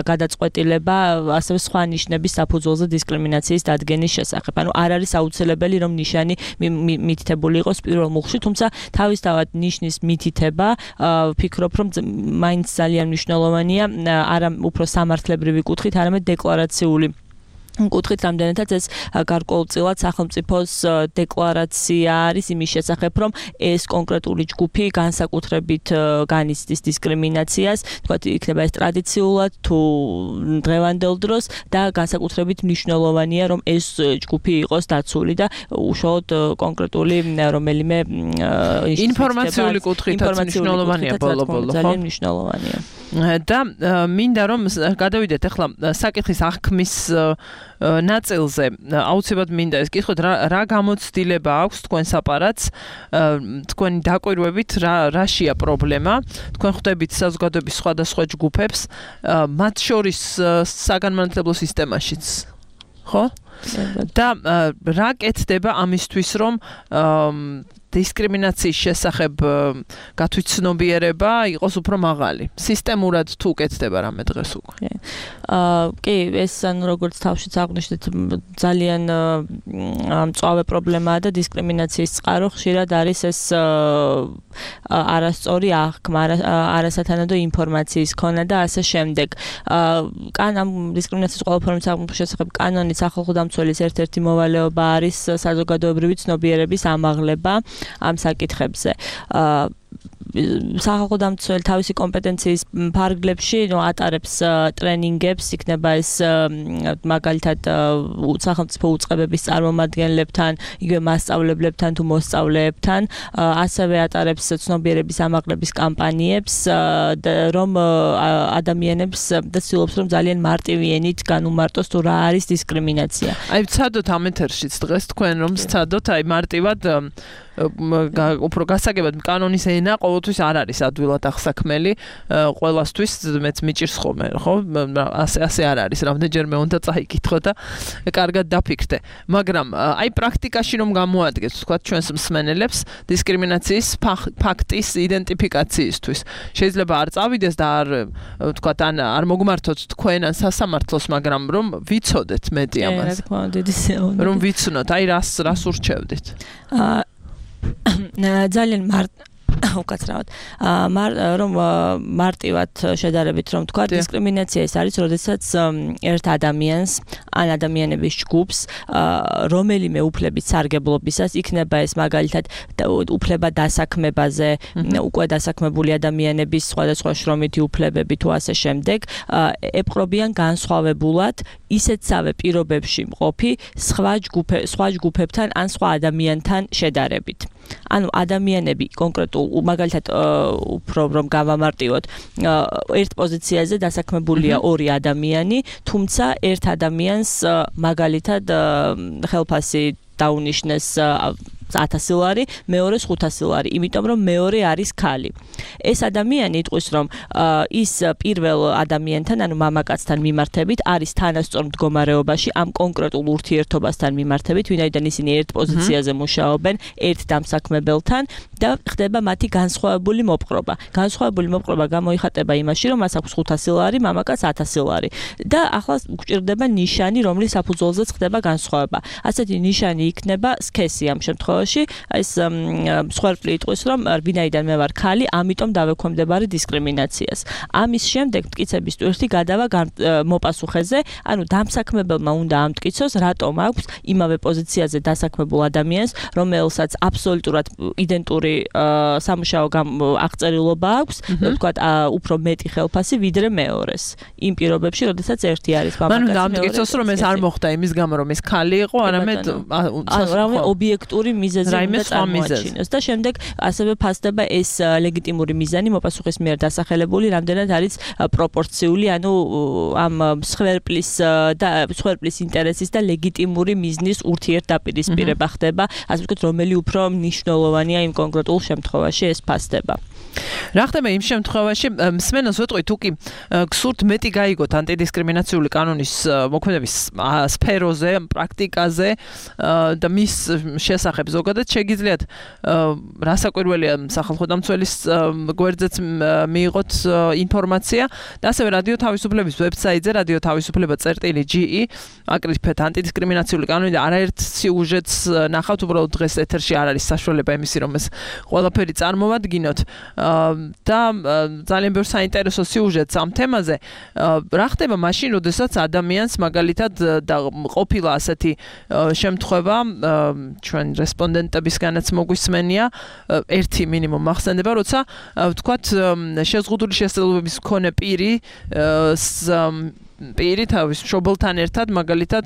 გადაწყვეტილება ასევე სხვა ნიშნების საფუძველზე დისკრიმინაციის დადგენის შესახებ. ანუ არ არის აუცილებელი, რომ ნიშანი მითითებული იყოს პირველ მუხლში, თუმცა თავისთავად ნიშნის მითითება ვფიქრობ, რომ მაინც ძალიან მნიშვნელოვანია, არა უფრო სამართლებრივი კუთხით, არამედ დეკლარაციული კუთხით, რამდენადაც ეს გარკვეულწილად სახელმწიფოს დეკლარაცია არის იმის შესახებ, რომ ეს კონკრეტული ჯგუფი განსაკუთრებით განიცდის დისკრიმინაციას, თქვათ, იქნება ეს ტრადიციულად თუ დღევანდელ დროს და განსაკუთრებით მნიშვნელოვანია, რომ ეს ჯგუფი იყოს დაცული და უშუალოდ კონკრეტული რომელიმე ინფორმაციული კუთხითაც მნიშვნელოვანია ბოლო-ბოლო, ხო? ძალიან მნიშვნელოვანია. და მინდა რომ გადავიდეთ ახლა საკითხის აღქმის ნაწილზე. აუცილებლად მინდა ეს კითხოთ, რა გამოცდილება აქვს თქვენ საპარატს, თქვენი დაკვირვებით რაშია პრობლემა, თქვენ ხვდებით საზოგადოების სხვადასხვა ჯგუფებს, მათ შორის საგანმანათლებლო სისტემაშიც, ხო? და რა კეთდება ამისთვის, რომ დისკრიმინაციის შესახებ გათვითცნობიერება იყოს უფრო მაღალი. სისტემურად თუ კეთდება რამე დღეს უკვე. კი, ეს ანუ როგორც თავშიც აღვნიშნეთ, ძალიან მწვავე პრობლემაა და დისკრიმინაციის წყარო ხშირად არის ეს არასწორი აღქმა, არასათანადო ინფორმაციის ქონა და ასე შემდეგ. ამ დისკრიმინაციის ყველა ფორმის აღქმის შესახებ კანონის სახალხო დამცველის ერთ-ერთი მოვალეობა არის საზოგადოებრივი ცნობიერების ამაღლება ამ საკითხებზე. სახალხო დამცველი თავისი კომპეტენციის ფარგლებში ატარებს ტრენინგებს, იქნება ეს მაგალითად სახელმწიფო უწყებების წარმომადგენლებთან, იგივე მასწავლებლებთან თუ მოსწავლეებთან, ასევე ატარებს ცნობიერების ამაღლების კამპანიებს, რომ ადამიანებს და ცდილობს, რომ ძალიან მარტივი ენით განუმარტოს თუ რა არის დისკრიმინაცია. აი, ვცადოთ ამ ეთერშიც დღეს თქვენ რომ ვცადოთ, აი მარტივად უფრო გასაგებად კანონის ენა ყოველთვის არ არის ადვილად აღსაქმელი ყველასთვის მეც მიჭირს ხოლმე ხო ასე არ არის რამდენჯერმე უნდა წაიკითხო და კარგად დაფიქრდე მაგრამ აი პრაქტიკაში რომ გამოადგეს თქვა ჩვენს მსმენელებს დისკრიმინაციის ფაქტის იდენტიფიკაციისთვის შეიძლება არ წავიდეს და არ თქვა ან არ მოგმართოთ თქვენ ან სასამართლოს მაგრამ რომ ვიცოდეთ მეტი ამას რომ ვიცნოთ აი რას ურჩევდით ძალიან უკაცრავად რომ მარტივად შედარებით რომ თქვა დისკრიმინაცია ეს არის როდესაც ერთ ადამიანს ან ადამიანების ჯგუფს რომელიმე უფლების სარგებლობისას იქნება ეს მაგალითად უფლება დასაქმებაზე უკვე დასაქმებული ადამიანების სხვადასხვა შრომითი უფლებები თუ ასე შემდეგ ეპყრობიან განსხვავებულად ისეთსავე პირობებში მყოფი სხვა ჯგუფებთან ან სხვა ადამიანთან შედარებით ანუ ადამიანები კონკრეტულ მაგალითად უფრო რომ გავამარტივოთ ერთ პოზიციაზე დასაქმებულია ორი ადამიანი თუმცა ერთ ადამიანს მაგალითად ხელფასი დაუნიშნეს 1000 ლარი, მეორეს 500 ლარი, იმიტომ რომ მეორე არის ქალი. ეს ადამიანი იტყვის რომ ის პირველ ადამიანთან, ანუ მამაკაცთან მიმართებით არის თანასწორ მდგომარეობაში ამ კონკრეტულ ურთიერთობასთან მიმართებით, ვინაიდან ისინი ერთ პოზიციაზე მუშაობენ, ერთ დამსაქმებელთან და ხდება მათი განსხვავებული მოპყრობა. განსხვავებული მოპყრობა გამოიხატება იმაში, რომ მას აქვს 500 ლარი, მამაკაც 1000 ლარი. და ახლა გვჭირდება ნიშანი, რომლის საფუძველზეც ხდება განსხვავება. ასეთი ნიშანი იქნება სქესი ამ შემთხვევაში, ეს მსხვერპლი იტყვის, რომ ვინაიდან მე ვარ ქალი, ამიტომ დავექვემდებარე დისკრიმინაციას. ამის შემდეგ მტკიცების ტვირთი გადავა მოპასუხეზე, ანუ დამსაქმებელმა უნდა ამტკიცოს, რატომ აქვს იმავე პოზიციაზე დასაქმებულ ადამიანს, რომელსაც აბსოლუტურად იდენტური სამუშაო აღწერილობა აქვს, ვთქვათ, უფრო მეტი ხელფასი ვიდრე მეორეს. იმ პირობებში, როდესაც ერთი არის მამაკაცი. მანუ დამტკიცოს, რომ ეს არ მოხდა იმის გამო, რომ ეს ქალი იყო, არამედ რამე ობიექტური მიზეზი უნდა წარმოაჩინოს და შემდეგ ასევე ფასდება ეს ლეგიტიმური მიზანი მოპასუხის მიერ დასახელებული, რამდენად არის პროპორციული, ანუ ამ მსხვერპლის ინტერესის და ლეგიტიმური მიზნის ურთიერთდაპირისპირება ხდება, ასე ვთქვათ, რომელი უფრო მნიშვნელოვანია იმ კონკრეტულ შემთხვევაში ეს ფასდება. რა ხდება იმ შემთხვევაში, მსმენელს ვეტყვი, თუ კი გსურთ მეტი გაიგოთ ანტიდისკრიმინაციული კანონის მოქმედების სფეროზე, პრაქტიკაზე და მის შესახებ ზოგადად შეგიძლიათ რასაკვირველია სახალხო დამცველის გვერდზეც მიიღოთ ინფორმაცია და ასევე რადიო თავისუფლების ვებსაიტზე radiotavisufleba.ge აკრიფეთ ანტიდისკრიმინაციული კანონი და არაერთ სიუჟეტს ნახავთ, უბრალოდ დღეს ეთერში არ არის საშუალება იმისი, რომ ეს ყველაფერი წარმოვადგინოთ. და ძალიან ბევრ საინტერესო სიუჟეტს ამ თემაზე. რა ხდება მაშინ, როდესაც ადამიანს მაგალითად და ყოფილა ასეთი შემთხვევა, ჩვენ რესპონდენტებისგანაც მოგვისმენია, ერთი მინიმუმ მახსენდება, როცა ვთქვათ, შეზღუდული შესაძლებლობების მქონე პირი თავის მშობელთან ერთად მაგალითად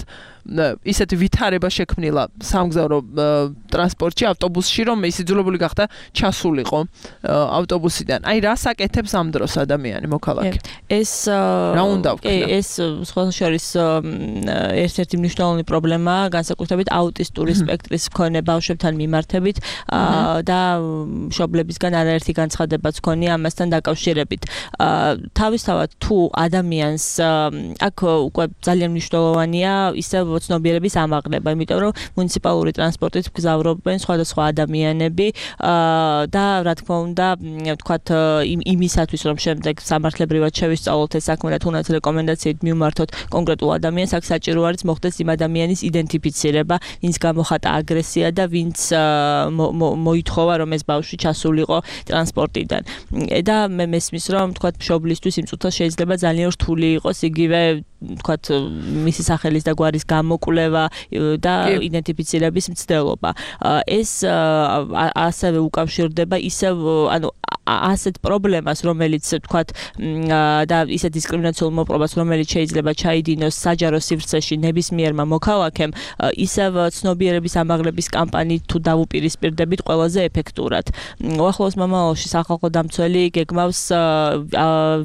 ისეთი ვითარება შექმნილა სამგზავრო ტრანსპორტში, ავტობუსში, რომ ის იძულებული გახდა ჩასულიყო ავტობუსიდან. აი რას აკეთებს ამ დროს ადამიანი მოქალაქე? ეს რა უნდა ვქნა? ეს სხვათა შორის ერთ-ერთი მნიშვნელოვანი პრობლემაა, განსაკუთრებით აუტისტური სპექტრის მქონე ბავშვებთან მიმართებით და მშობლებისგან არაერთი განცხადებაც ჰქონია ამასთან დაკავშირებით. თავისთავად თუ ადამიანს აქ უკვე ძალიან მნიშვნელოვანია ისევ ცნობიერების ამაღლება, იმიტომ რომ მუნიციპალური ტრანსპორტით გზავრობენ სხვადასხვა ადამიანები და რა თქმა უნდა, ვთქვათ, იმისათვის რომ შემდეგ სამართლებრივად შევისწავლოთ ეს საქმე და თუნდაც რეკომენდაციით მივმართოთ კონკრეტულ ადამიანს, აქ საჭირო არის მოხდეს იმ ადამიანის იდენტიფიცირება, ვინც გამოხატა აგრესია და ვინც მოითხოვა რომ ეს ბავშვი ჩასულიყო ტრანსპორტიდან. და მე მესმის რომ ვთქვათ, მშობლისთვის იმ წუთას შეიძლება ძალიან რთული იყოს იგივე ვთქვათ, მისი სახელის და გვარის გამოკვლევა და იდენტიფიცირების მცდელობა. ეს ასევე უკავშირდება ისევ, ანუ ასეთ პრობლემას, რომელიც ვთქვათ და ისეთ დისკრიმინაციულ მოპყრობას, რომელიც შეიძლება ჩაიდინოს საჯარო სივრცეში ნებისმიერმა მოქალაქემ, ისევ ცნობიერების ამაღლების კამპანიით თუ დავუპირისპირდებით ყველაზე ეფექტურად. უახლოეს მომავალში სახალხო დამცველი გეგმავს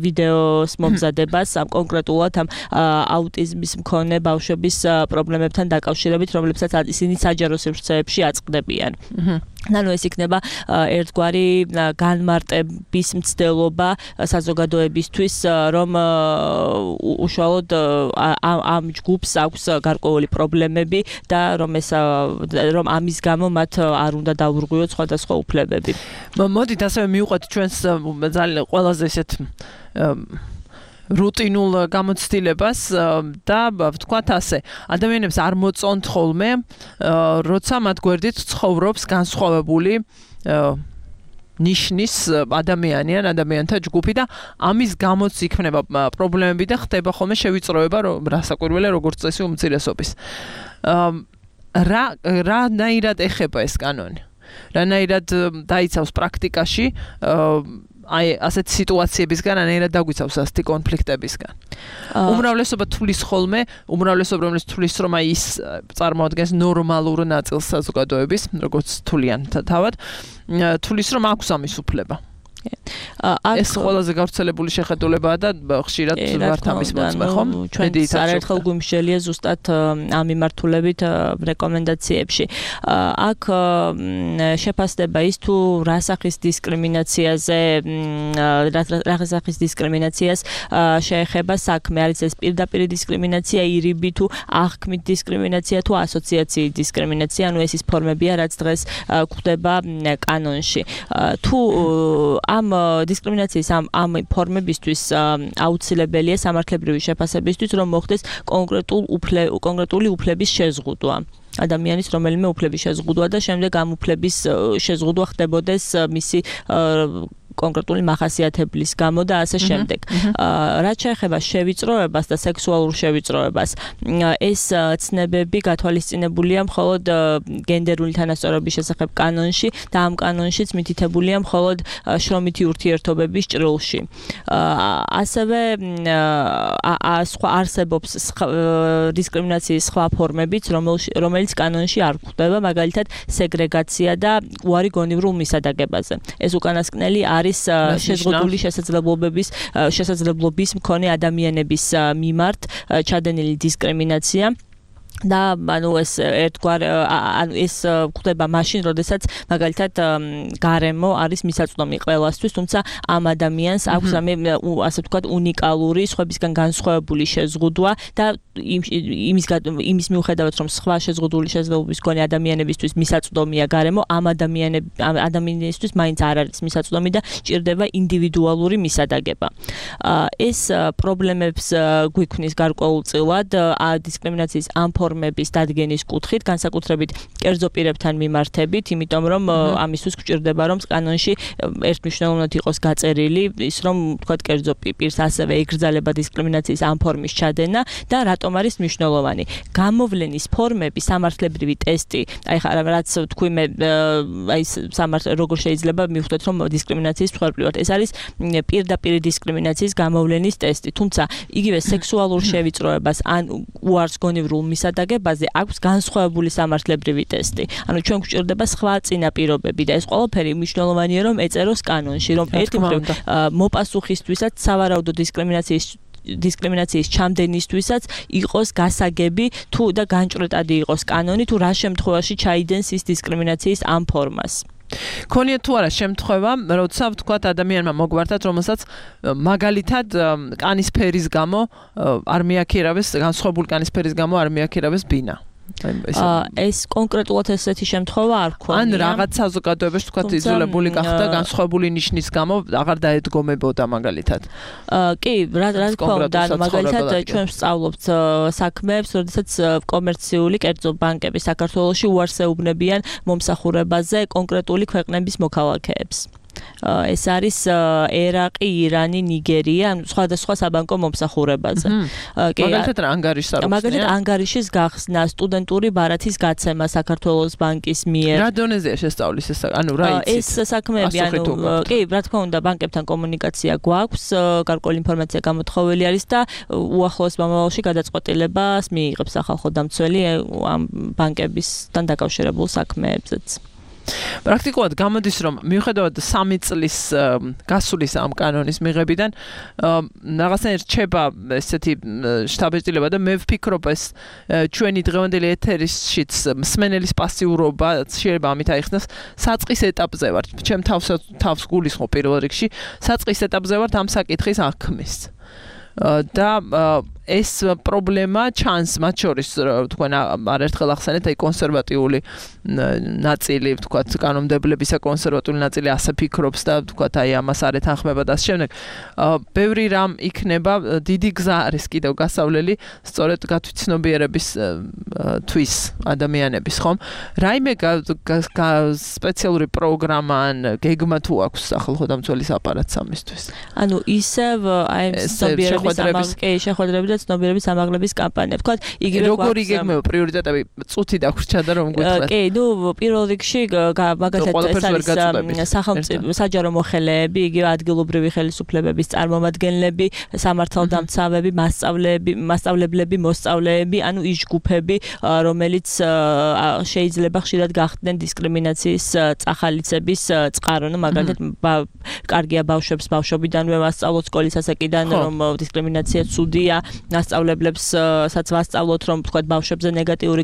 ვიდეოს მომზადებას ამ კონკრეტულად ამ აუტიზმის მქონე ბავშვების პრობლემებთან დაკავშირებით, რომლებსაც ისინი საჯარო სივრცეებში აწყდებიან. ანუ ეს იქნება ერთგვარი განმარტების მცდელობა საზოგადოებისთვის, რომ უშუალოდ ამ ჯგუფს აქვს გარკვეული პრობლემები და რომ ამის გამო მათ არ უნდა დაურღვიოთ სხვადასხვა უფლებები. მოდით ასევე მივყვეთ ჩვენს ძალიან ყველაზე ესეთ რუტინულ გამოცდილებას და ვთქვათ ასე, ადამიანებს არ მოწონთ ხოლმე, როცა მათ გვერდით ცხოვრობს განსხვავებული ნიშნის ადამიანი ან ადამიანთა ჯგუფი და ამის გამოც იქნება პრობლემები და ხდება ხოლმე შევიწროება რასაკვირველია როგორც წესი უმცირესობის. რანაირად ეხება ეს კანონი? რანაირად დაიცავს პრაქტიკაში ასეთ სიტუაციებისგან, რანაირად დაგვიცავს ასეთი კონფლიქტებისგან? უმრავლესობა თulis ხოლმე, უმრავლესობა რომელიც თulis რომ ის წარმოადგენს ნორმალურ ნაწილს საზოგადოების, როგორც თulian თავად, თulis რომ აქვს ამის უფლება. ეს ყველაზე გავრცელებული შეხედულებაა და ხშირად ვართ ამის მოწმე, ხო? ჩვენც არაერთხელ გვიმსჯელია ზუსტად ამ მიმართულებით რეკომენდაციებში. აქ შეფასდება ის თუ რა სახის დისკრიმინაციაზე, რა სახის დისკრიმინაციას შეეხება საქმე, არის ეს პირდაპირ დისკრიმინაცია, ირიბი თუ აღქმით დისკრიმინაცია თუ ასოციაციით დისკრიმინაცია, ანუ ეს ის ფორმებია, რაც დღეს გვხვდება კანონში. თუ ამ დისკრიმინაციის ამ ფორმებისთვის აუცილებელია სამართლებრივი შეფასებისთვის, რომ მოხდეს კონკრეტული უფლების შეზღუდვა. ადამიანის რომელიმე უფლების შეზღუდვა და შემდეგ ამ უფლების შეზღუდვა ხდებოდეს მისი კონკრეტული მახასიათებლის გამო და ასე შემდეგ. რაც შეეხება შევიწროებას და სექსუალურ შევიწროებას, ეს ცნებები გათვალისწინებულია მხოლოდ გენდერული თანასწორობის შესახებ კანონში და ამ კანონშიც მითითებულია მხოლოდ შრომითი ურთიერთობების ჭრილში. ასევე არსებობს დისკრიმინაციის სხვა ფორმებიც, რომელიც კანონში არ გვხვდება, მაგალითად სეგრეგაცია და უარი გონივრულ მისადაგებაზე. ეს უკანასკნელი არის შეზღუდული შესაძლებლობის მქონე ადამიანების მიმართ ჩადენილი დისკრიმინაცია. და ანუ ეს ერთგვარ ეს გვხვდება მაშინ, როდესაც მაგალითად გარემო არის მისაწვდომი ყველასთვის, თუმცა ამ ადამიანს აქვს ასე ვთქვათ უნიკალური, სხვებისგან განსხვავებული შეზღუდვა და იმის მიუხედავად, რომ სხვა შეზღუდული შესაძლებლობის მქონე ადამიანებისთვის მისაწვდომია გარემო, ამ ადამიანისთვის მაინც არ არის მისაწვდომი და ჭირდება ინდივიდუალური მისადაგება. ეს პრობლემებს გვიქმნის გარკვეულწილად დისკრიმინაციის ამ ფორმების დადგენის კუთხით, განსაკუთრებით კერძო პირებთან მიმართებით, იმიტომ რომ ამისთვის გვჭირდება, რომ კანონში ერთმნიშვნელოვნად იყოს გაწერილი ის, რომ თქვათ კერძო პირს ასევე ეკრძალება დისკრიმინაციის ამ ფორმის ჩადენა და რატომ არის მნიშვნელოვანი. გამოვლენის ფორმები, სამართლებრივი ტესტი, აი ხა რაც თქვი მე აი როგორ შეიძლება მივხვდეთ, რომ დისკრიმინაციის მსხვერპლი ვართ. ეს არის პირდაპირ დისკრიმინაციის გამოვლენის ტესტი, თუმცა იგივე სექსუალურ შევიწროებას ან უარს გონივრულ მისადაგებაზე აქვს განსხვავებული სამართლებრივი ტესტი. ანუ ჩვენ გვჭირდება სხვა წინაპირობები და ეს ყველაფერი მნიშვნელოვანია, რომ ეწეროს კანონში, რომ ერთი მხრივ მოპასუხისთვისაც სავარაუდო დისკრიმინაციის ჩამდენისთვისაც იყოს გასაგები თუ და განჭრეტადი იყოს კანონი, თუ რა შემთხვევაში ჩაიდენს ის დისკრიმინაციის ამ ფორმას. ქონია თუ არა შემთხვევა, როცა ვთქვათ ადამიანმა მოგვართათ, რომელსაც მაგალითად კანის ფერის გამო არ მიაქირავეს, განსხვავებული კანის ფერის გამო არ მიაქირავეს ბინა. ეს კონკრეტულად ესეთი შემთხვევა არ ქონია. ან რაღაც საზოგადოებაში თქვათ იძულებული გახდა განსხვავებული ნიშნის გამო აღარ დაედგომებოდა მაგალითად. კი, რა თქმა უნდა, მაგალითად ჩვენ ვსწავლობთ საქმეებს, როდესაც კომერციული კერძო ბანკები საქართველოში უარს ეუბნებიან მომსახურებაზე კონკრეტული ქვეყნების მოქალაქეებს. ეს არის ერაყი, ირანი, ნიგერია, სხვადასხვა საბანკო მომსახურებაზე. მაგალითად რა ანგარიშს არ უხსნიან? მაგალითად ანგარიშის გახსნა, სტუდენტური ბარათის გაცემა საქართველოს ბანკის მიერ. რა დონეზეა შესწავლის ეს? ანუ რა იცით? ეს საქმეები, კი, რა თქმა უნდა, ბანკებთან კომუნიკაცია გვაქვს, გარკვეული ინფორმაცია გამოთხოვილი არის და უახლოეს მომავალში გადაწყვეტილებას მიიღებს სახალხო დამცველი ამ ბანკებისთან დაკავშირებულ საქმეებზეც. პრაქტიკულად გამოდის რომ მიუხედავად 3 წლის გასulis ამ კანონის მიღებიდან რაღაცნაირად რჩება ესეთი შტაბ-ეტილება და მე ვფიქრობ ეს ჩვენი დღევანდელი ეთერისშიც მსმენელის პასიურობა შეიძლება ამით აიხსნას საწყის ეტაპზე ვარ ჩემ თავს გულისხმობ პირველ რიგში საწყის ეტაპზე ვარ ამ საკითხის აღქმის და ეს პრობლემა ჩანს მათ შორის თქვენ არაერთხელ ახსენეთ აი კონსერვატიული ნაწილი ვთქვათ კანონმდებლებისა კონსერვატიული ნაწილი ასე ფიქრობს და ვთქვათ აი ამას არ ეთანხმება და ამ შემდეგ ბევრი რამ იქნება დიდი გზა არის კიდევ გასავლელი სწორედ გათვითცნობიერების თვის ადამიანების ხომ რაიმე სპეციალური პროგრამა ან გეგმა თუ აქვს სახალხო დამცველის აპარატს ამისთვის ანუ ისევ აი შეხვედრები ცნობიერების ამაღლების კამპანია. Თქვათ, იგივე როგორი გეგმება პრიორიტეტები წუთი დაგვრჩა და რომ გითხრათ. კი, ნუ პირველ რიგში მაგალითად სახელმწიფო საჯარო მოხელეები, იგივე ადგილობრივი ხელისუფლებების წარმომადგენლები, სამართალდამცავები, მასწავლებლები, მოსწავლეები, ანუ ის ჯგუფები, რომელიც შეიძლება ხშირად გახდნენ დისკრიმინაციის წახალიცების წყარო, ნუ მაგალითად კარგია ბავშვებს ბავშვობიდანვე მასწავლოთ სკოლის ასაკიდან რომ დისკრიმინაცია ცუდია მასწავლებლებსაც ვასწავლოთ რომ თქვათ ბავშვებზე ნეგატიური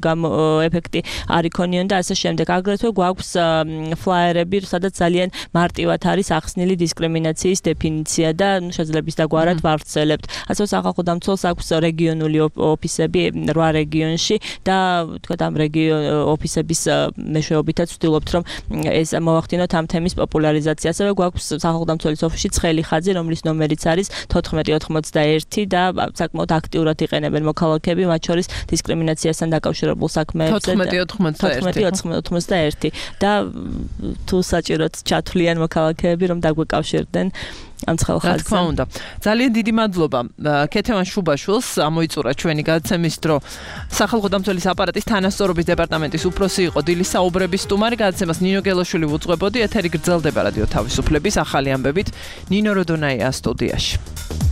ეფექტი არ იქონიონ და ასე შემდეგ. აგრეთვე გვაქვს ფლაიერები, სადაც ძალიან მარტივად არის ახსნილი დისკრიმინაციის დეფინიცია და შეიძლება ის დაგვარად ვავრცელებთ. ასე სახალხო დამცველს აქვს რეგიონული ოფისები 8 რეგიონში და თქვათ ამ ოფისების მეშვეობითაც ვცდილობთ რომ ეს მოვახდინოთ ამ თემის პოპულარიზაცია. ასევე გვაქვს სახალხო დამცველის ოფისში ცხელი ხაზი, რომლის ნომერიც არის 1491 და საკმაოდ აქტიურად იყენებენ მოქალაქეები, მათ შორის დისკრიმინაციასთან დაკავშირებულ საქმეებზე 1491 და თუ საჭიროთ ჩათვლიან მოქალაქეები რომ დაგვეკავშირდნენ ამ ცხელხაზზე. რა თქმა უნდა. ძალიან დიდი მადლობა ქეთევან შუბაშვილს ამოიწურა ჩვენი გადაცემის დრო. სახალხო დამცველის აპარატის თანასწორობის დეპარტამენტის უფროსი იყო დილის საუბრების სტუმარი. გადაცემას ნინო გელოშვილი უძღვებოდი. ეთერი გრძელდება რადიო თავისუფლების ახალი ამბებით. ნინო როდონაია სტუდიაში.